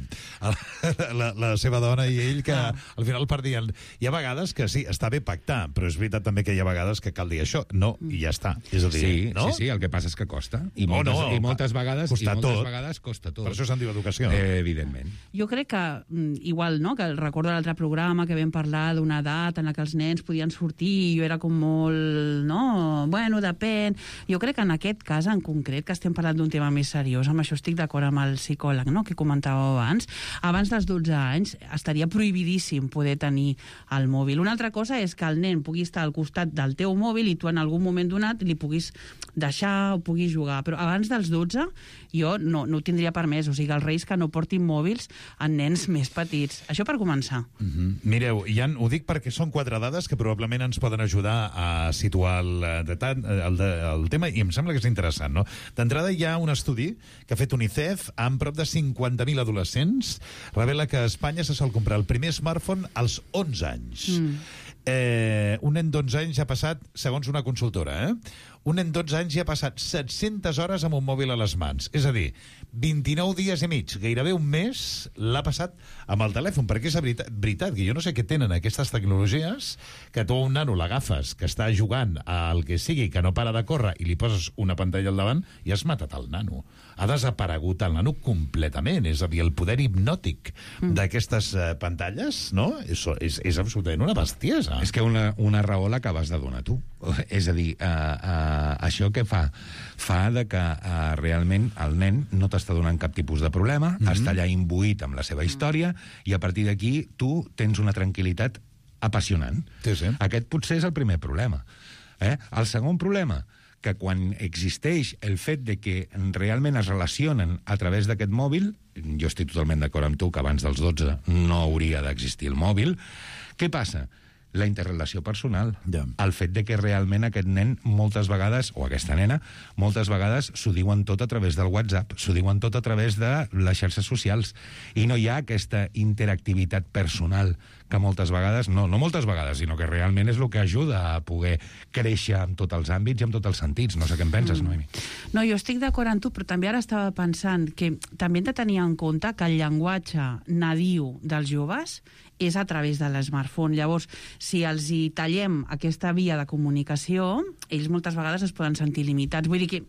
[SPEAKER 5] la, la seva dona i ell, que al final perdien. Hi ha vegades que sí, està bé pactar, però és veritat també que hi ha vegades que cal dir això, no, i ja està. És a dir,
[SPEAKER 12] sí,
[SPEAKER 5] no?
[SPEAKER 12] sí, sí, el que passa és que costa. I moltes,
[SPEAKER 5] oh, no,
[SPEAKER 12] i moltes vegades, i moltes
[SPEAKER 5] tot.
[SPEAKER 12] vegades costa tot.
[SPEAKER 5] Per això se'n diu educació.
[SPEAKER 12] Eh, evidentment.
[SPEAKER 13] Jo crec que, igual, no?, que recordo l'altre programa que vam parlar d'una edat en la que els nens podien sortir i jo era com molt, no, bueno, depèn. Jo crec que en aquest cas en concret, que estem parlant d'un tema més seriós, amb això estic d'acord amb el psicòleg, no?, que comentàveu abans, abans dels dotze anys estaria prohibidíssim poder tenir el mòbil. Una altra cosa és que el nen pugui estar al costat del teu mòbil i tu en algun moment donat li puguis deixar o puguis jugar, però abans dels dotze jo no, no ho tindria permès, o sigui, els reis que no portin mòbils en nens més petits. Això per començar.
[SPEAKER 5] Mm-hmm. Mireu, Jan, ho dic perquè són quatre dades que probablement ens poden ajudar a situar el, el, el, el tema, i em sembla que és interessant, no? D'entrada hi ha un estudi que ha fet UNICEF amb prop de cinquanta mil adolescents, revela que a Espanya se sol comprar el primer smartphone als onze anys. Mm. Eh, un nen d'onze anys ja ha passat, segons una consultora, eh? un nen d'onze anys ja ha passat set-centes hores amb un mòbil a les mans. És a dir, vint-i-nou dies i mig, gairebé un mes, l'ha passat amb el telèfon, perquè és veritat, veritat que jo no sé què tenen aquestes tecnologies, que tu a un nano l'agafes, que està jugant al que sigui, que no para de córrer, i li poses una pantalla al davant i has matat el nano. Ha desaparegut el nano completament, és a dir, el poder hipnòtic mm. d'aquestes uh, pantalles, no? És, és, és absolutament una bestiesa.
[SPEAKER 12] És que una, una raó l'acabes de donar tu. És a dir, uh, uh, això què fa? Fa de que uh, realment el nen no t'està donant cap tipus de problema, mm-hmm. està allà imbuït amb la seva història, i a partir d'aquí tu tens una tranquil·litat apassionant.
[SPEAKER 5] Sí, sí.
[SPEAKER 12] Aquest potser és el primer problema. Eh? El segon problema, que quan existeix el fet de que realment es relacionen a través d'aquest mòbil, jo estic totalment d'acord amb tu que abans dels dotze no hauria d'existir el mòbil, què passa? La interrelació personal.
[SPEAKER 5] Yeah.
[SPEAKER 12] El fet de que realment aquest nen moltes vegades, o aquesta nena, moltes vegades s'ho diuen tot a través del WhatsApp, s'ho diuen tot a través de les xarxes socials, i no hi ha aquesta interactivitat personal que moltes vegades, no, no moltes vegades, sinó que realment és el que ajuda a poder créixer en tots els àmbits i en tots els sentits. No sé què en penses, mm. Noemi.
[SPEAKER 13] No, jo estic d'acord amb tu, però també ara estava pensant que també hem de tenir en compte que el llenguatge nadiu dels joves és a través de l'smartphone. Llavors, si els hi tallem aquesta via de comunicació, ells moltes vegades es poden sentir limitats. Vull dir que,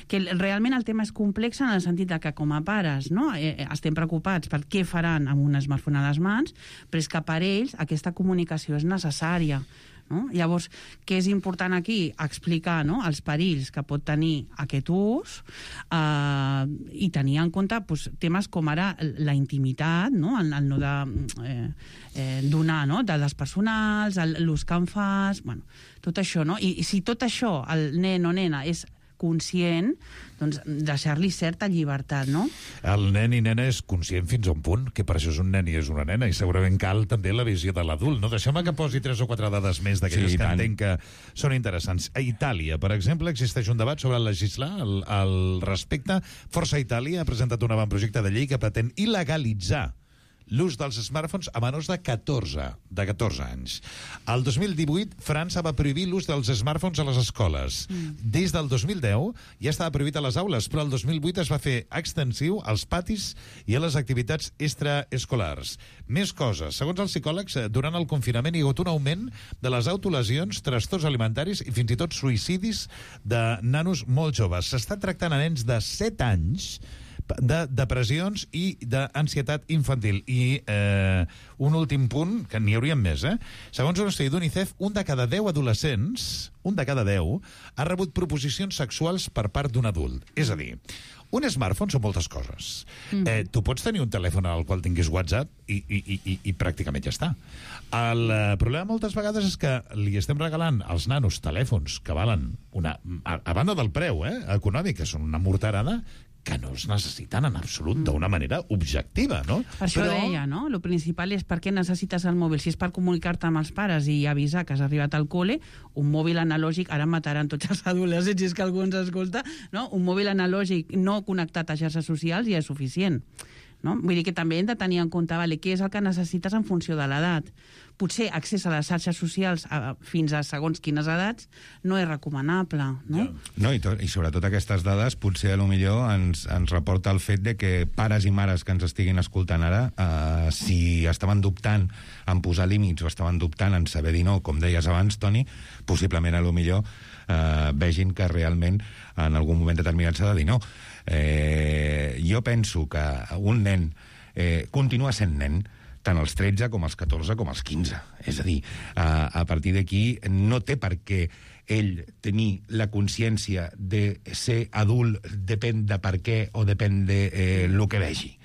[SPEAKER 13] que realment el tema és complex en el sentit de que com a pares, no, eh, estem preocupats per què faran amb un smartphone a les mans, però és que per ells aquesta comunicació és necessària. No? Llavors, què és important aquí? Explicar, no?, els perills que pot tenir aquest ús eh, i tenir en compte pues, temes com ara la intimitat, no?, el, el no de eh, eh, donar, no?, dades personals, l'ús que en fas, bueno, tot això, no? I, i si tot això el nen o nena és conscient, doncs deixar-li certa llibertat, no?
[SPEAKER 5] El nen i nena és conscient fins a un punt, que per això és un nen i és una nena, i segurament cal també la visió de l'adult, no? Deixeu-me que posi tres o quatre dades més d'aquelles sí, que tant. entenc que són interessants. A Itàlia, per exemple, existeix un debat sobre legislar al, al respecte. Força Itàlia ha presentat un avantprojecte de llei que pretén il·legalitzar l'ús dels smartphones a menors de catorze, de catorze anys. El dos mil divuit, França va prohibir l'ús dels smartphones a les escoles. Mm. Des del dos mil deu ja estava prohibit a les aules, però el dos mil vuit es va fer extensiu als patis i a les activitats extraescolars. Més coses. Segons els psicòlegs, durant el confinament hi ha hagut un augment de les autolesions, trastorns alimentaris i fins i tot suïcidis de nanos molt joves. S'està tractant a nens de set anys de depressions i d'ansietat infantil. I eh, un últim punt, que n'hi haurien més, eh? Segons un estudi d'UNICEF, un de cada deu adolescents, un de cada deu, ha rebut proposicions sexuals per part d'un adult. És a dir, un smartphone són moltes coses. Mm. Eh, tu pots tenir un telèfon al qual tinguis WhatsApp i, i, i, i, i pràcticament ja està. El eh, problema moltes vegades és que li estem regalant als nanos telèfons que valen una... A, a banda del preu, eh, econòmic, que són una morterada, que no es necessiten en absolut d'una manera objectiva, no?
[SPEAKER 13] Per això Però... deia, no? Lo principal és per què necessites el mòbil. Si és per comunicar-te amb els pares i avisar que has arribat al col·le, un mòbil analògic, ara mataran tots els adolescents, si és que algú ens escolta, no? Un mòbil analògic no connectat a xarxes socials ja és suficient. No? Vull dir que també hem de tenir en compte, vale, què és el que necessites en funció de l'edat. Potser accés a les xarxes socials a, fins a segons quines edats no és recomanable, no?
[SPEAKER 12] No, i, tot, i sobretot aquestes dades potser a lo millor ens, ens reporta el fet de que pares i mares que ens estiguin escoltant ara, eh, si estaven dubtant en posar límits o estaven dubtant en saber dir no, com deies abans, Toni, possiblement a lo millor eh, vegin que realment en algun moment determinat s'ha de dir no. Eh, jo penso que un nen eh, continua sent nen tant als tretze com als catorze com als quinze. És a dir, a, a partir d'aquí no té per què ell tenir la consciència de ser adult, depèn de per què o depèn de eh, lo que vegi.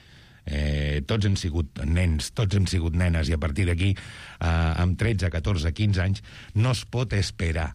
[SPEAKER 12] Eh, tots hem sigut nens, tots hem sigut nenes, i a partir d'aquí, eh, amb tretze, catorze, quinze anys, no es pot esperar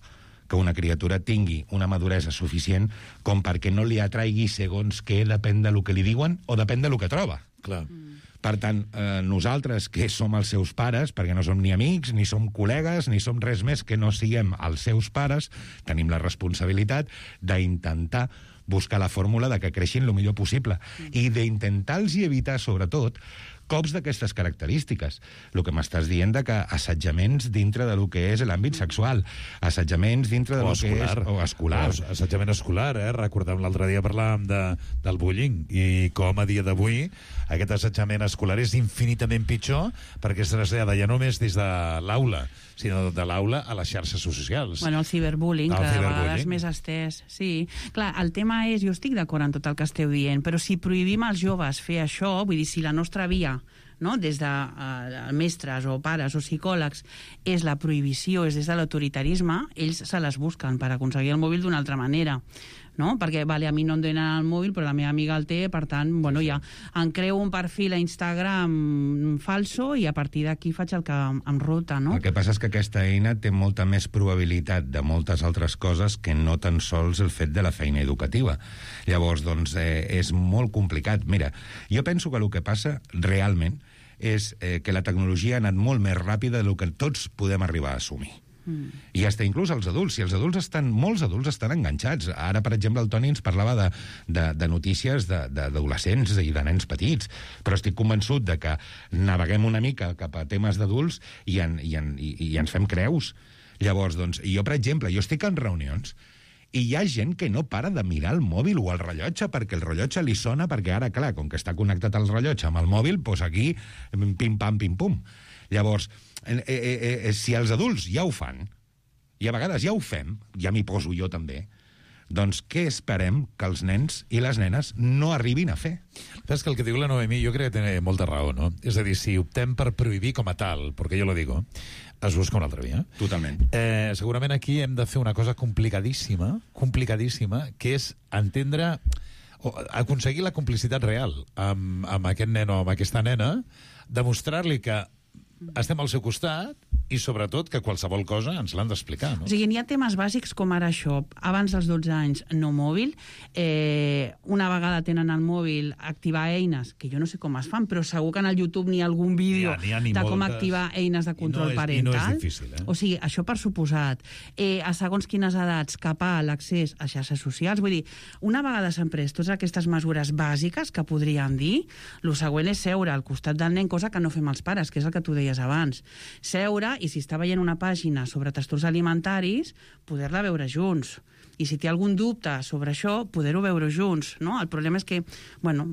[SPEAKER 12] que una criatura tingui una maduresa suficient com perquè no li atraigui segons què depèn de lo que li diuen o depèn de lo que troba.
[SPEAKER 5] Clar.
[SPEAKER 12] Mm. Per tant, eh, nosaltres, que som els seus pares, perquè no som ni amics, ni som col·legues, ni som res més que no siguem els seus pares, tenim la responsabilitat d'intentar buscar la fórmula de que creixin el millor possible i d'intentar-los evitar, sobretot, cops d'aquestes característiques. El que m'estàs dient de que assetjaments dintre de lo que és l'àmbit sexual, assetjaments dintre de
[SPEAKER 5] o
[SPEAKER 12] lo que és... O escolar.
[SPEAKER 5] O assetjament escolar, eh? Recordem l'altre dia parlàvem de, del bullying i com a dia d'avui aquest assetjament escolar és infinitament pitjor perquè es trasllada ja no només des de l'aula, sinó de l'aula a les xarxes socials.
[SPEAKER 13] Bueno, el ciberbullying,
[SPEAKER 5] el
[SPEAKER 13] cada
[SPEAKER 5] ciberbullying.
[SPEAKER 13] vegada és més estès. Sí. Clar, el tema és, jo estic d'acord en tot el que esteu dient, però si prohibim als joves fer això, vull dir, si la nostra via, no?, des de uh, mestres o pares o psicòlegs és la prohibició, és des de l'autoritarisme, ells se les busquen per aconseguir el mòbil d'una altra manera, no? Perquè, vale, a mi no em donen el mòbil, però la meva amiga el té, per tant, bueno, ja em creo un perfil a Instagram falso i a partir d'aquí faig el que em rota, no?
[SPEAKER 12] El que passa és que aquesta eina té molta més probabilitat de moltes altres coses que no tan sols el fet de la feina educativa. Llavors, doncs, eh, és molt complicat. Mira, jo penso que el que passa realment és eh, que la tecnologia ha anat molt més ràpida del que tots podem arribar a assumir. Mm. I hasta inclús els adults, i els adults estan, molts adults estan enganxats. Ara, per exemple, el Toni ens parlava de, de, de notícies d'adolescents i de nens petits, però estic convençut de que naveguem una mica cap a temes d'adults i, en, i, en, i, i ens fem creus. Llavors, doncs, jo, per exemple, jo estic en reunions i hi ha gent que no para de mirar el mòbil o el rellotge perquè el rellotge li sona, perquè ara, clar, com que està connectat el rellotge amb el mòbil, doncs aquí, pim-pam, pim-pum. Llavors, eh, eh, eh, si els adults ja ho fan, i a vegades ja ho fem, ja m'hi poso jo també, doncs què esperem que els nens i les nenes no arribin a fer?
[SPEAKER 5] És que el que diu la Noemí jo crec que té molta raó, no? És a dir, si optem per prohibir com a tal, perquè jo lo digo, es busca una altra via.
[SPEAKER 12] Totalment.
[SPEAKER 5] Eh, segurament aquí hem de fer una cosa complicadíssima, complicadíssima, que és entendre o aconseguir la complicitat real amb, amb aquest nen o amb aquesta nena, demostrar-li que estem al seu costat i, sobretot, que qualsevol cosa ens l'han d'explicar, no?
[SPEAKER 13] O sigui, n'hi ha temes bàsics com ara això. Abans dels dotze anys, no mòbil. Eh, una vegada tenen el mòbil, activar eines, que jo no sé com es fan, però segur que en el YouTube n'hi ha algun vídeo
[SPEAKER 5] n'hi ha, n'hi ha
[SPEAKER 13] de
[SPEAKER 5] moltes.
[SPEAKER 13] com activar eines de control
[SPEAKER 5] I no és,
[SPEAKER 13] parental.
[SPEAKER 5] I no és difícil, eh?
[SPEAKER 13] O sigui, això per suposat. Eh, a segons quines edats, capar l'accés a xarxes socials. Vull dir, una vegada s'han pres totes aquestes mesures bàsiques que podríem dir, el següent és seure al costat del nen, cosa que no fem els pares, que és el que tu deies abans. Seure, i si està veient una pàgina sobre trastorns alimentaris, poder-la veure junts. I si té algun dubte sobre això, poder-ho veure junts, no? El problema és que, bueno,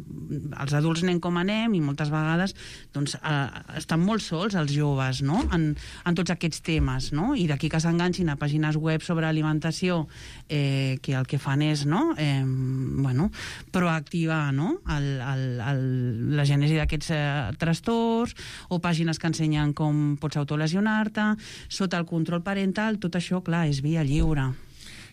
[SPEAKER 13] els adults anem com anem i moltes vegades doncs, eh, estan molt sols els joves, no?, en, en tots aquests temes, no? I d'aquí que s'enganxin a pàgines web sobre alimentació eh, que el que fan és, no?, eh, bueno, proactivar, no?, el, el, el, la gènesi d'aquests eh, trastorns, o pàgines que ensenyen com pots autolesionar-te, sota el control parental. Tot això, clar, és via lliure.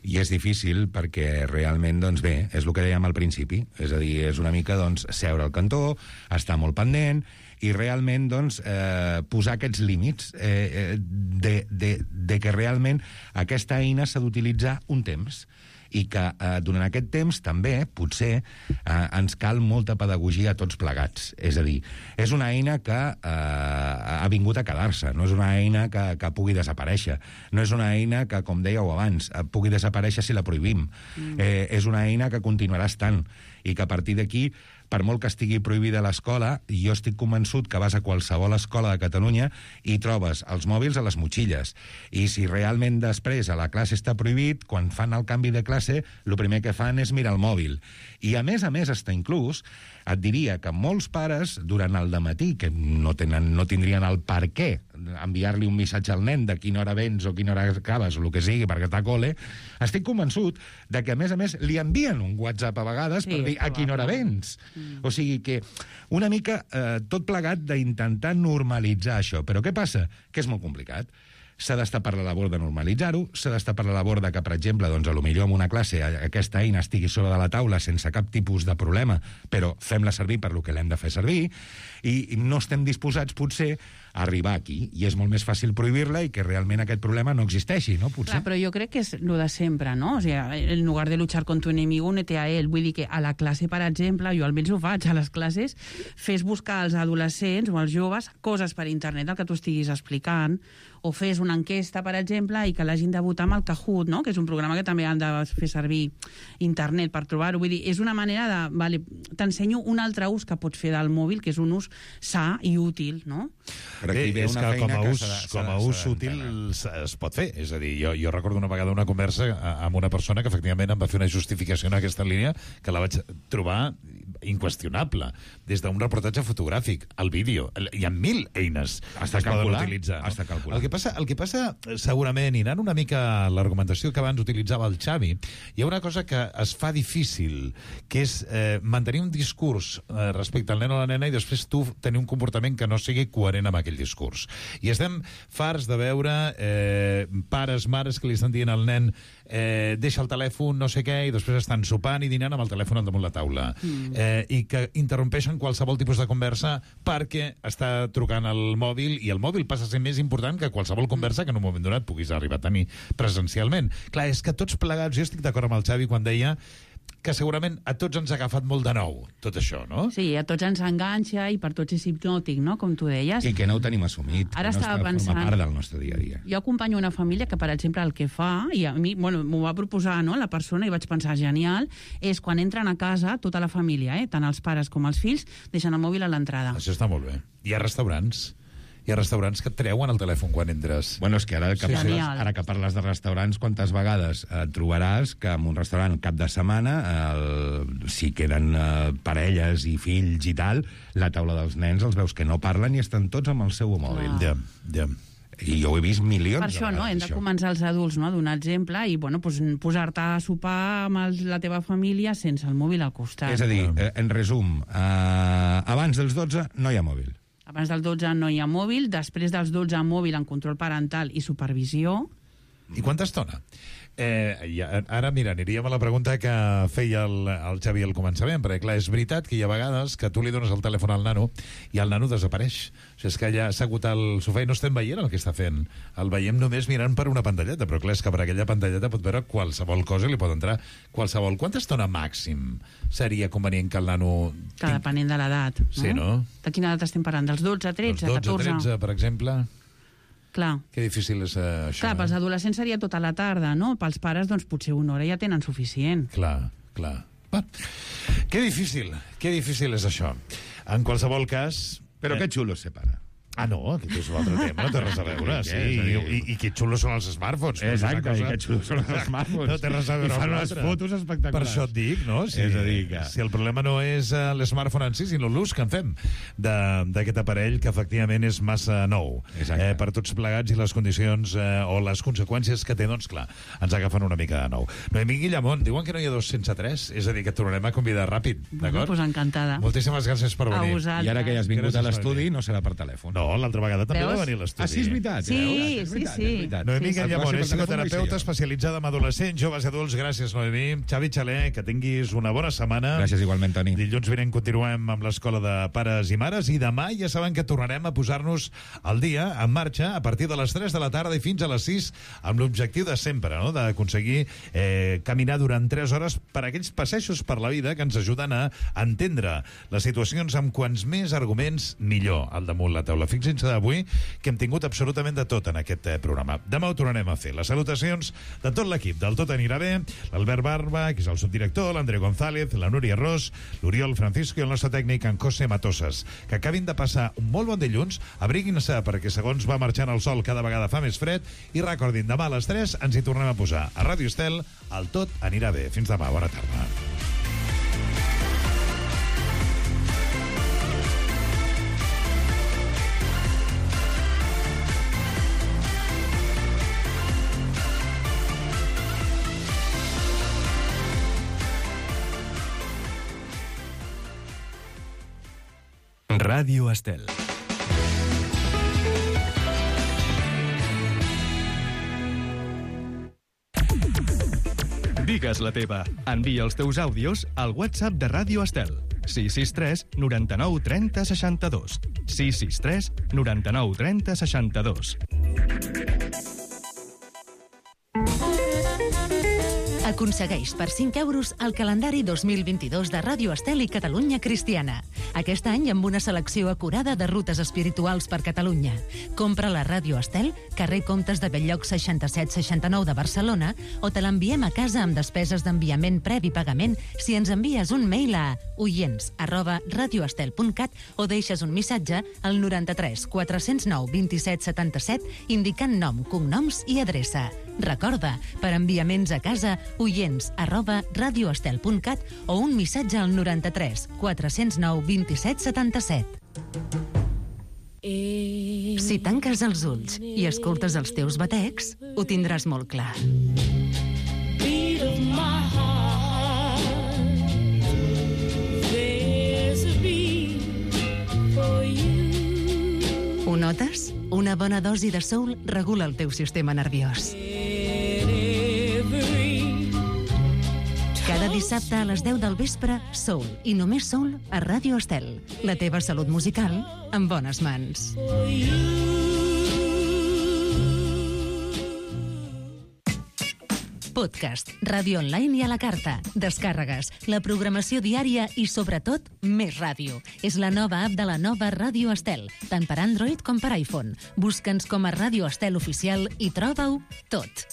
[SPEAKER 12] I és difícil perquè realment, doncs bé, és el que dèiem al principi. És a dir, és una mica, doncs, seure al cantó, estar molt pendent i realment, doncs, eh, posar aquests límits eh, de, de, de que realment aquesta eina s'ha d'utilitzar un temps i que eh, durant aquest temps també, potser, eh, ens cal molta pedagogia a tots plegats. És a dir, és una eina que eh, ha vingut a quedar-se, no és una eina que, que pugui desaparèixer, no és una eina que, com dèieu abans, pugui desaparèixer si la prohibim. Mm. Eh, és una eina que continuarà estant i que a partir d'aquí, per molt que estigui prohibida a l'escola, jo estic convençut que vas a qualsevol escola de Catalunya i trobes els mòbils a les motxilles. I si realment després a la classe està prohibit, quan fan el canvi de classe, el primer que fan és mirar el mòbil. I a més a més, està inclús, et diria que molts pares, durant el dematí, que no, tenen, no tindrien el per què enviar-li un missatge al nen de quina hora vens o quina hora acabes o el que sigui perquè està a col·le, estic convençut de que, a més a més, li envien un WhatsApp a vegades sí, per dir a quina hora vens. Mm. O sigui que una mica eh, tot plegat d'intentar normalitzar això. Però què passa? Que és molt complicat. S'ha d'estar per la labor de normalitzar-ho, s'ha d'estar per la labor de que, per exemple, doncs, a lo millor en una classe aquesta eina estigui sobre de la taula sense cap tipus de problema, però fem-la servir per lo que l'hem de fer servir, i no estem disposats, potser, a arribar aquí. I és molt més fàcil prohibir-la i que realment aquest problema no existeixi, no? Potser.
[SPEAKER 13] Clar, però jo crec que és el de sempre, no? O sigui, en lugar de luchar con tu enemigo, únete a él. Vull dir que a la classe, per exemple, jo almenys ho faig, a les classes, fes buscar als adolescents o als joves coses per internet, el que tu estiguis explicant, o fes una una enquesta, per exemple, i que l'hagin de votar amb el Kahoot, no? Que és un programa que també han de fer servir internet per trobar-ho. Vull dir, és una manera de... Vale, t'ensenyo un altre ús que pots fer del mòbil, que és un ús sa i útil, no?
[SPEAKER 5] Però aquí ve una feina com a ús, com a ús útil es pot fer. És a dir, jo, jo recordo una vegada una conversa amb una persona que efectivament em va fer una justificació en aquesta línia que la vaig trobar inqüestionable. Des d'un reportatge fotogràfic, el vídeo, hi ha mil eines
[SPEAKER 12] Hasta
[SPEAKER 5] que es poden
[SPEAKER 12] calcular,
[SPEAKER 5] utilitzar.
[SPEAKER 12] hasta calcular.
[SPEAKER 5] El que passa, el que passa segurament, i anant una mica a l'argumentació que abans utilitzava el Xavi, hi ha una cosa que es fa difícil, que és eh, mantenir un discurs eh, respecte al nen o la nena i després tu tenir un comportament que no sigui coherent amb aquell discurs. I estem farts de veure eh, pares, mares que li estan dient al nen eh, deixa el telèfon, no sé què, i després estan sopant i dinant amb el telèfon al damunt la taula. Mm. Eh, i que interrompeixen qualsevol tipus de conversa perquè està trucant el mòbil, i el mòbil passa a ser més important que qualsevol conversa que en un moment donat puguis arribar a tenir presencialment. Clar, és que tots plegats, jo estic d'acord amb el Xavi quan deia que segurament a tots ens ha agafat molt de nou, tot això, no?
[SPEAKER 13] Sí, a tots ens enganxa i per tots és hipnòtic, no?, com tu deies.
[SPEAKER 12] I que no ho tenim assumit.
[SPEAKER 13] Ara
[SPEAKER 12] no
[SPEAKER 13] estava
[SPEAKER 12] està,
[SPEAKER 13] pensant...
[SPEAKER 12] forma part del nostre dia a dia.
[SPEAKER 13] Jo acompanyo una família que, per exemple, el que fa, i a mi, bueno, m'ho va proposar, no?, la persona, i vaig pensar, genial, és quan entren a casa, tota la família, eh?, tant els pares com els fills, deixen el mòbil a l'entrada.
[SPEAKER 5] Això està molt bé. Hi ha restaurants... Hi ha restaurants que et treuen el telèfon quan entres.
[SPEAKER 12] Bueno, és que ara que,
[SPEAKER 5] Sí,
[SPEAKER 12] parles,
[SPEAKER 5] sí.
[SPEAKER 12] ara que parles de restaurants, quantes vegades eh, trobaràs que en un restaurant cap de setmana, el, si queden eh, parelles i fills i tal, la taula dels nens els veus que no parlen i estan tots amb el seu mòbil.
[SPEAKER 5] Ja, ja.
[SPEAKER 12] I jo ho he vist milions
[SPEAKER 13] Per això,
[SPEAKER 12] de
[SPEAKER 13] no?,
[SPEAKER 12] vegades,
[SPEAKER 13] hem de
[SPEAKER 12] això.
[SPEAKER 13] començar els adults, no?, a donar exemple i, bueno, pues, posar-te a sopar amb el, la teva família sense el mòbil al costat.
[SPEAKER 12] És a dir, eh, en resum, eh, abans dels dotze no hi ha mòbil.
[SPEAKER 13] Abans del dotze no hi ha mòbil, després dels dotze mòbil amb control parental i supervisió.
[SPEAKER 5] I quanta estona? Eh, ja, ara, mira, aniríem a la pregunta que feia el, el Xavi al començament, perquè, clar, és veritat que hi ha vegades que tu li dones el telèfon al nano i el nano desapareix. O sigui, és que ja s'ha agut al sofà i no estem veient el que està fent. El veiem només mirant per una pantalleta, però, clar, és que per aquella pantalleta pot veure qualsevol cosa i li pot entrar qualsevol. Quanta estona màxim seria convenient que el nano...
[SPEAKER 13] Que depenent de l'edat.
[SPEAKER 5] Sí, no?
[SPEAKER 13] De quina edat estem parlant? Dels dotze, tretze,
[SPEAKER 5] Dels dotze,
[SPEAKER 13] catorze?
[SPEAKER 5] tretze, per exemple...
[SPEAKER 13] Clar.
[SPEAKER 5] Que difícil és uh, això.
[SPEAKER 13] Clar, pels adolescents seria tota la tarda, no? Pels pares, doncs, potser una hora ja tenen suficient.
[SPEAKER 5] Clar, clar. Va. Que difícil, que difícil és això. En qualsevol cas...
[SPEAKER 12] Però eh... que xulo se para.
[SPEAKER 5] Ah, no, aquest és un altre tema, no té res a veure. Sí, i, i, i que xulos són els smartphones.
[SPEAKER 12] Exacte,
[SPEAKER 5] no
[SPEAKER 12] i que xulos són els smartphones.
[SPEAKER 5] No té res a veure
[SPEAKER 12] I fan
[SPEAKER 5] amb
[SPEAKER 12] unes
[SPEAKER 5] l'altre.
[SPEAKER 12] fotos espectaculars.
[SPEAKER 5] Per això et dic, no? Si,
[SPEAKER 12] És a dir que...
[SPEAKER 5] si el problema no és uh, l'smartphone en si, sinó l'ús que en fem d'aquest aparell que efectivament és massa nou. Eh, per tots plegats i les condicions eh, o les conseqüències que té, doncs clar, ens agafen una mica de nou. Noemí Guillamont, diuen que no hi ha dos sense tres, és a dir, que et tornarem a convidar ràpid,
[SPEAKER 13] Bueno,
[SPEAKER 5] d'acord?
[SPEAKER 13] pues encantada.
[SPEAKER 5] Moltíssimes gràcies per
[SPEAKER 13] A
[SPEAKER 5] venir.
[SPEAKER 13] vosaltres.
[SPEAKER 12] I ara que ja has vingut
[SPEAKER 5] Gràcies
[SPEAKER 12] a l'estudi,
[SPEAKER 5] per venir.
[SPEAKER 12] no serà per telèfon.
[SPEAKER 5] No, l'altra vegada també
[SPEAKER 13] Veus?
[SPEAKER 5] va venir a l'estudi.
[SPEAKER 12] Ah, sí, és veritat.
[SPEAKER 13] Sí,
[SPEAKER 12] veus?
[SPEAKER 13] sí,
[SPEAKER 12] És veritat,
[SPEAKER 13] sí.
[SPEAKER 12] és veritat.
[SPEAKER 5] Noemí
[SPEAKER 13] Sí.
[SPEAKER 5] Guillamont
[SPEAKER 12] El
[SPEAKER 5] és
[SPEAKER 12] pròxim per telèfon
[SPEAKER 5] psicoterapeuta
[SPEAKER 12] vaig ser jo.
[SPEAKER 5] especialitzada en adolescents, joves i adults. Gràcies, Noemí. Xavi Xaler, que tinguis una bona setmana.
[SPEAKER 12] Gràcies igualment, Toni.
[SPEAKER 5] Dilluns vinent continuem amb l'escola de pares i mares i demà ja saben que tornarem a posar-nos al dia, en marxa, a partir de les tres de la tarda i fins a les sis, amb l'objectiu de sempre, no?, d'aconseguir eh, caminar durant tres hores per aquells passejos per la vida que ens ajuden a entendre les situacions amb quants més arguments millor al damunt la taula. Fixin-se d'avui que hem tingut absolutament de tot en aquest eh, programa. Demà ho tornarem a fer. Les salutacions de tot l'equip del Tot Anirà Bé, l'Albert Barba, que és el subdirector, l'André González, la Núria Ros, l'Oriol Francisco i el nostre tècnic, en José Matosas. Que acabin de passar un molt bon dilluns, abriguin-se perquè segons va marxant el sol cada vegada fa més fred i recordin, demà a les tres ens hi tornem a posar. A Ràdio Estel, el Tot Anirà Bé. Fins demà, bona tarda.
[SPEAKER 1] Ràdio Estel. Digues la teva. Envia els teus àudios al WhatsApp de Ràdio Estel. sis sis tres, noranta-nou, trenta, seixanta-dos. sis sis tres, noranta-nou, trenta, seixanta-dos.
[SPEAKER 11] Aconsegueix per cinc euros el calendari dos mil vint-i-dos de Ràdio Estel i Catalunya Cristiana. Aquest any amb una selecció acurada de rutes espirituals per Catalunya. Compra la Ràdio Estel, carrer Comtes de Belllloc seixanta-set seixanta-nou de Barcelona, o te l'enviem a casa amb despeses d'enviament previ pagament si ens envies un mail a oients arroba radioestel punt cat o deixes un missatge al noranta-tres quatre-cents nou vint-i-set setanta-set indicant nom, cognoms i adreça. Recorda, per enviaments a casa, oients arroba radioestel punt cat o un missatge al noranta-tres quatre-cents nou vint-i-set setanta-set. Si tanques els ulls i escoltes els teus batecs, ho tindràs molt clar. Ho notes? Una bona dosi de soul regula el teu sistema nerviós. Cada dissabte a les deu del vespre, soul i només soul a Ràdio Estel. La teva salut musical en bones mans. Podcast, ràdio online i a la carta, descàrregues, la programació diària i, sobretot, més ràdio. És la nova app de la nova Ràdio Estel, tant per Android com per iPhone. Busca'ns com a Ràdio Estel Oficial i troba-ho tot.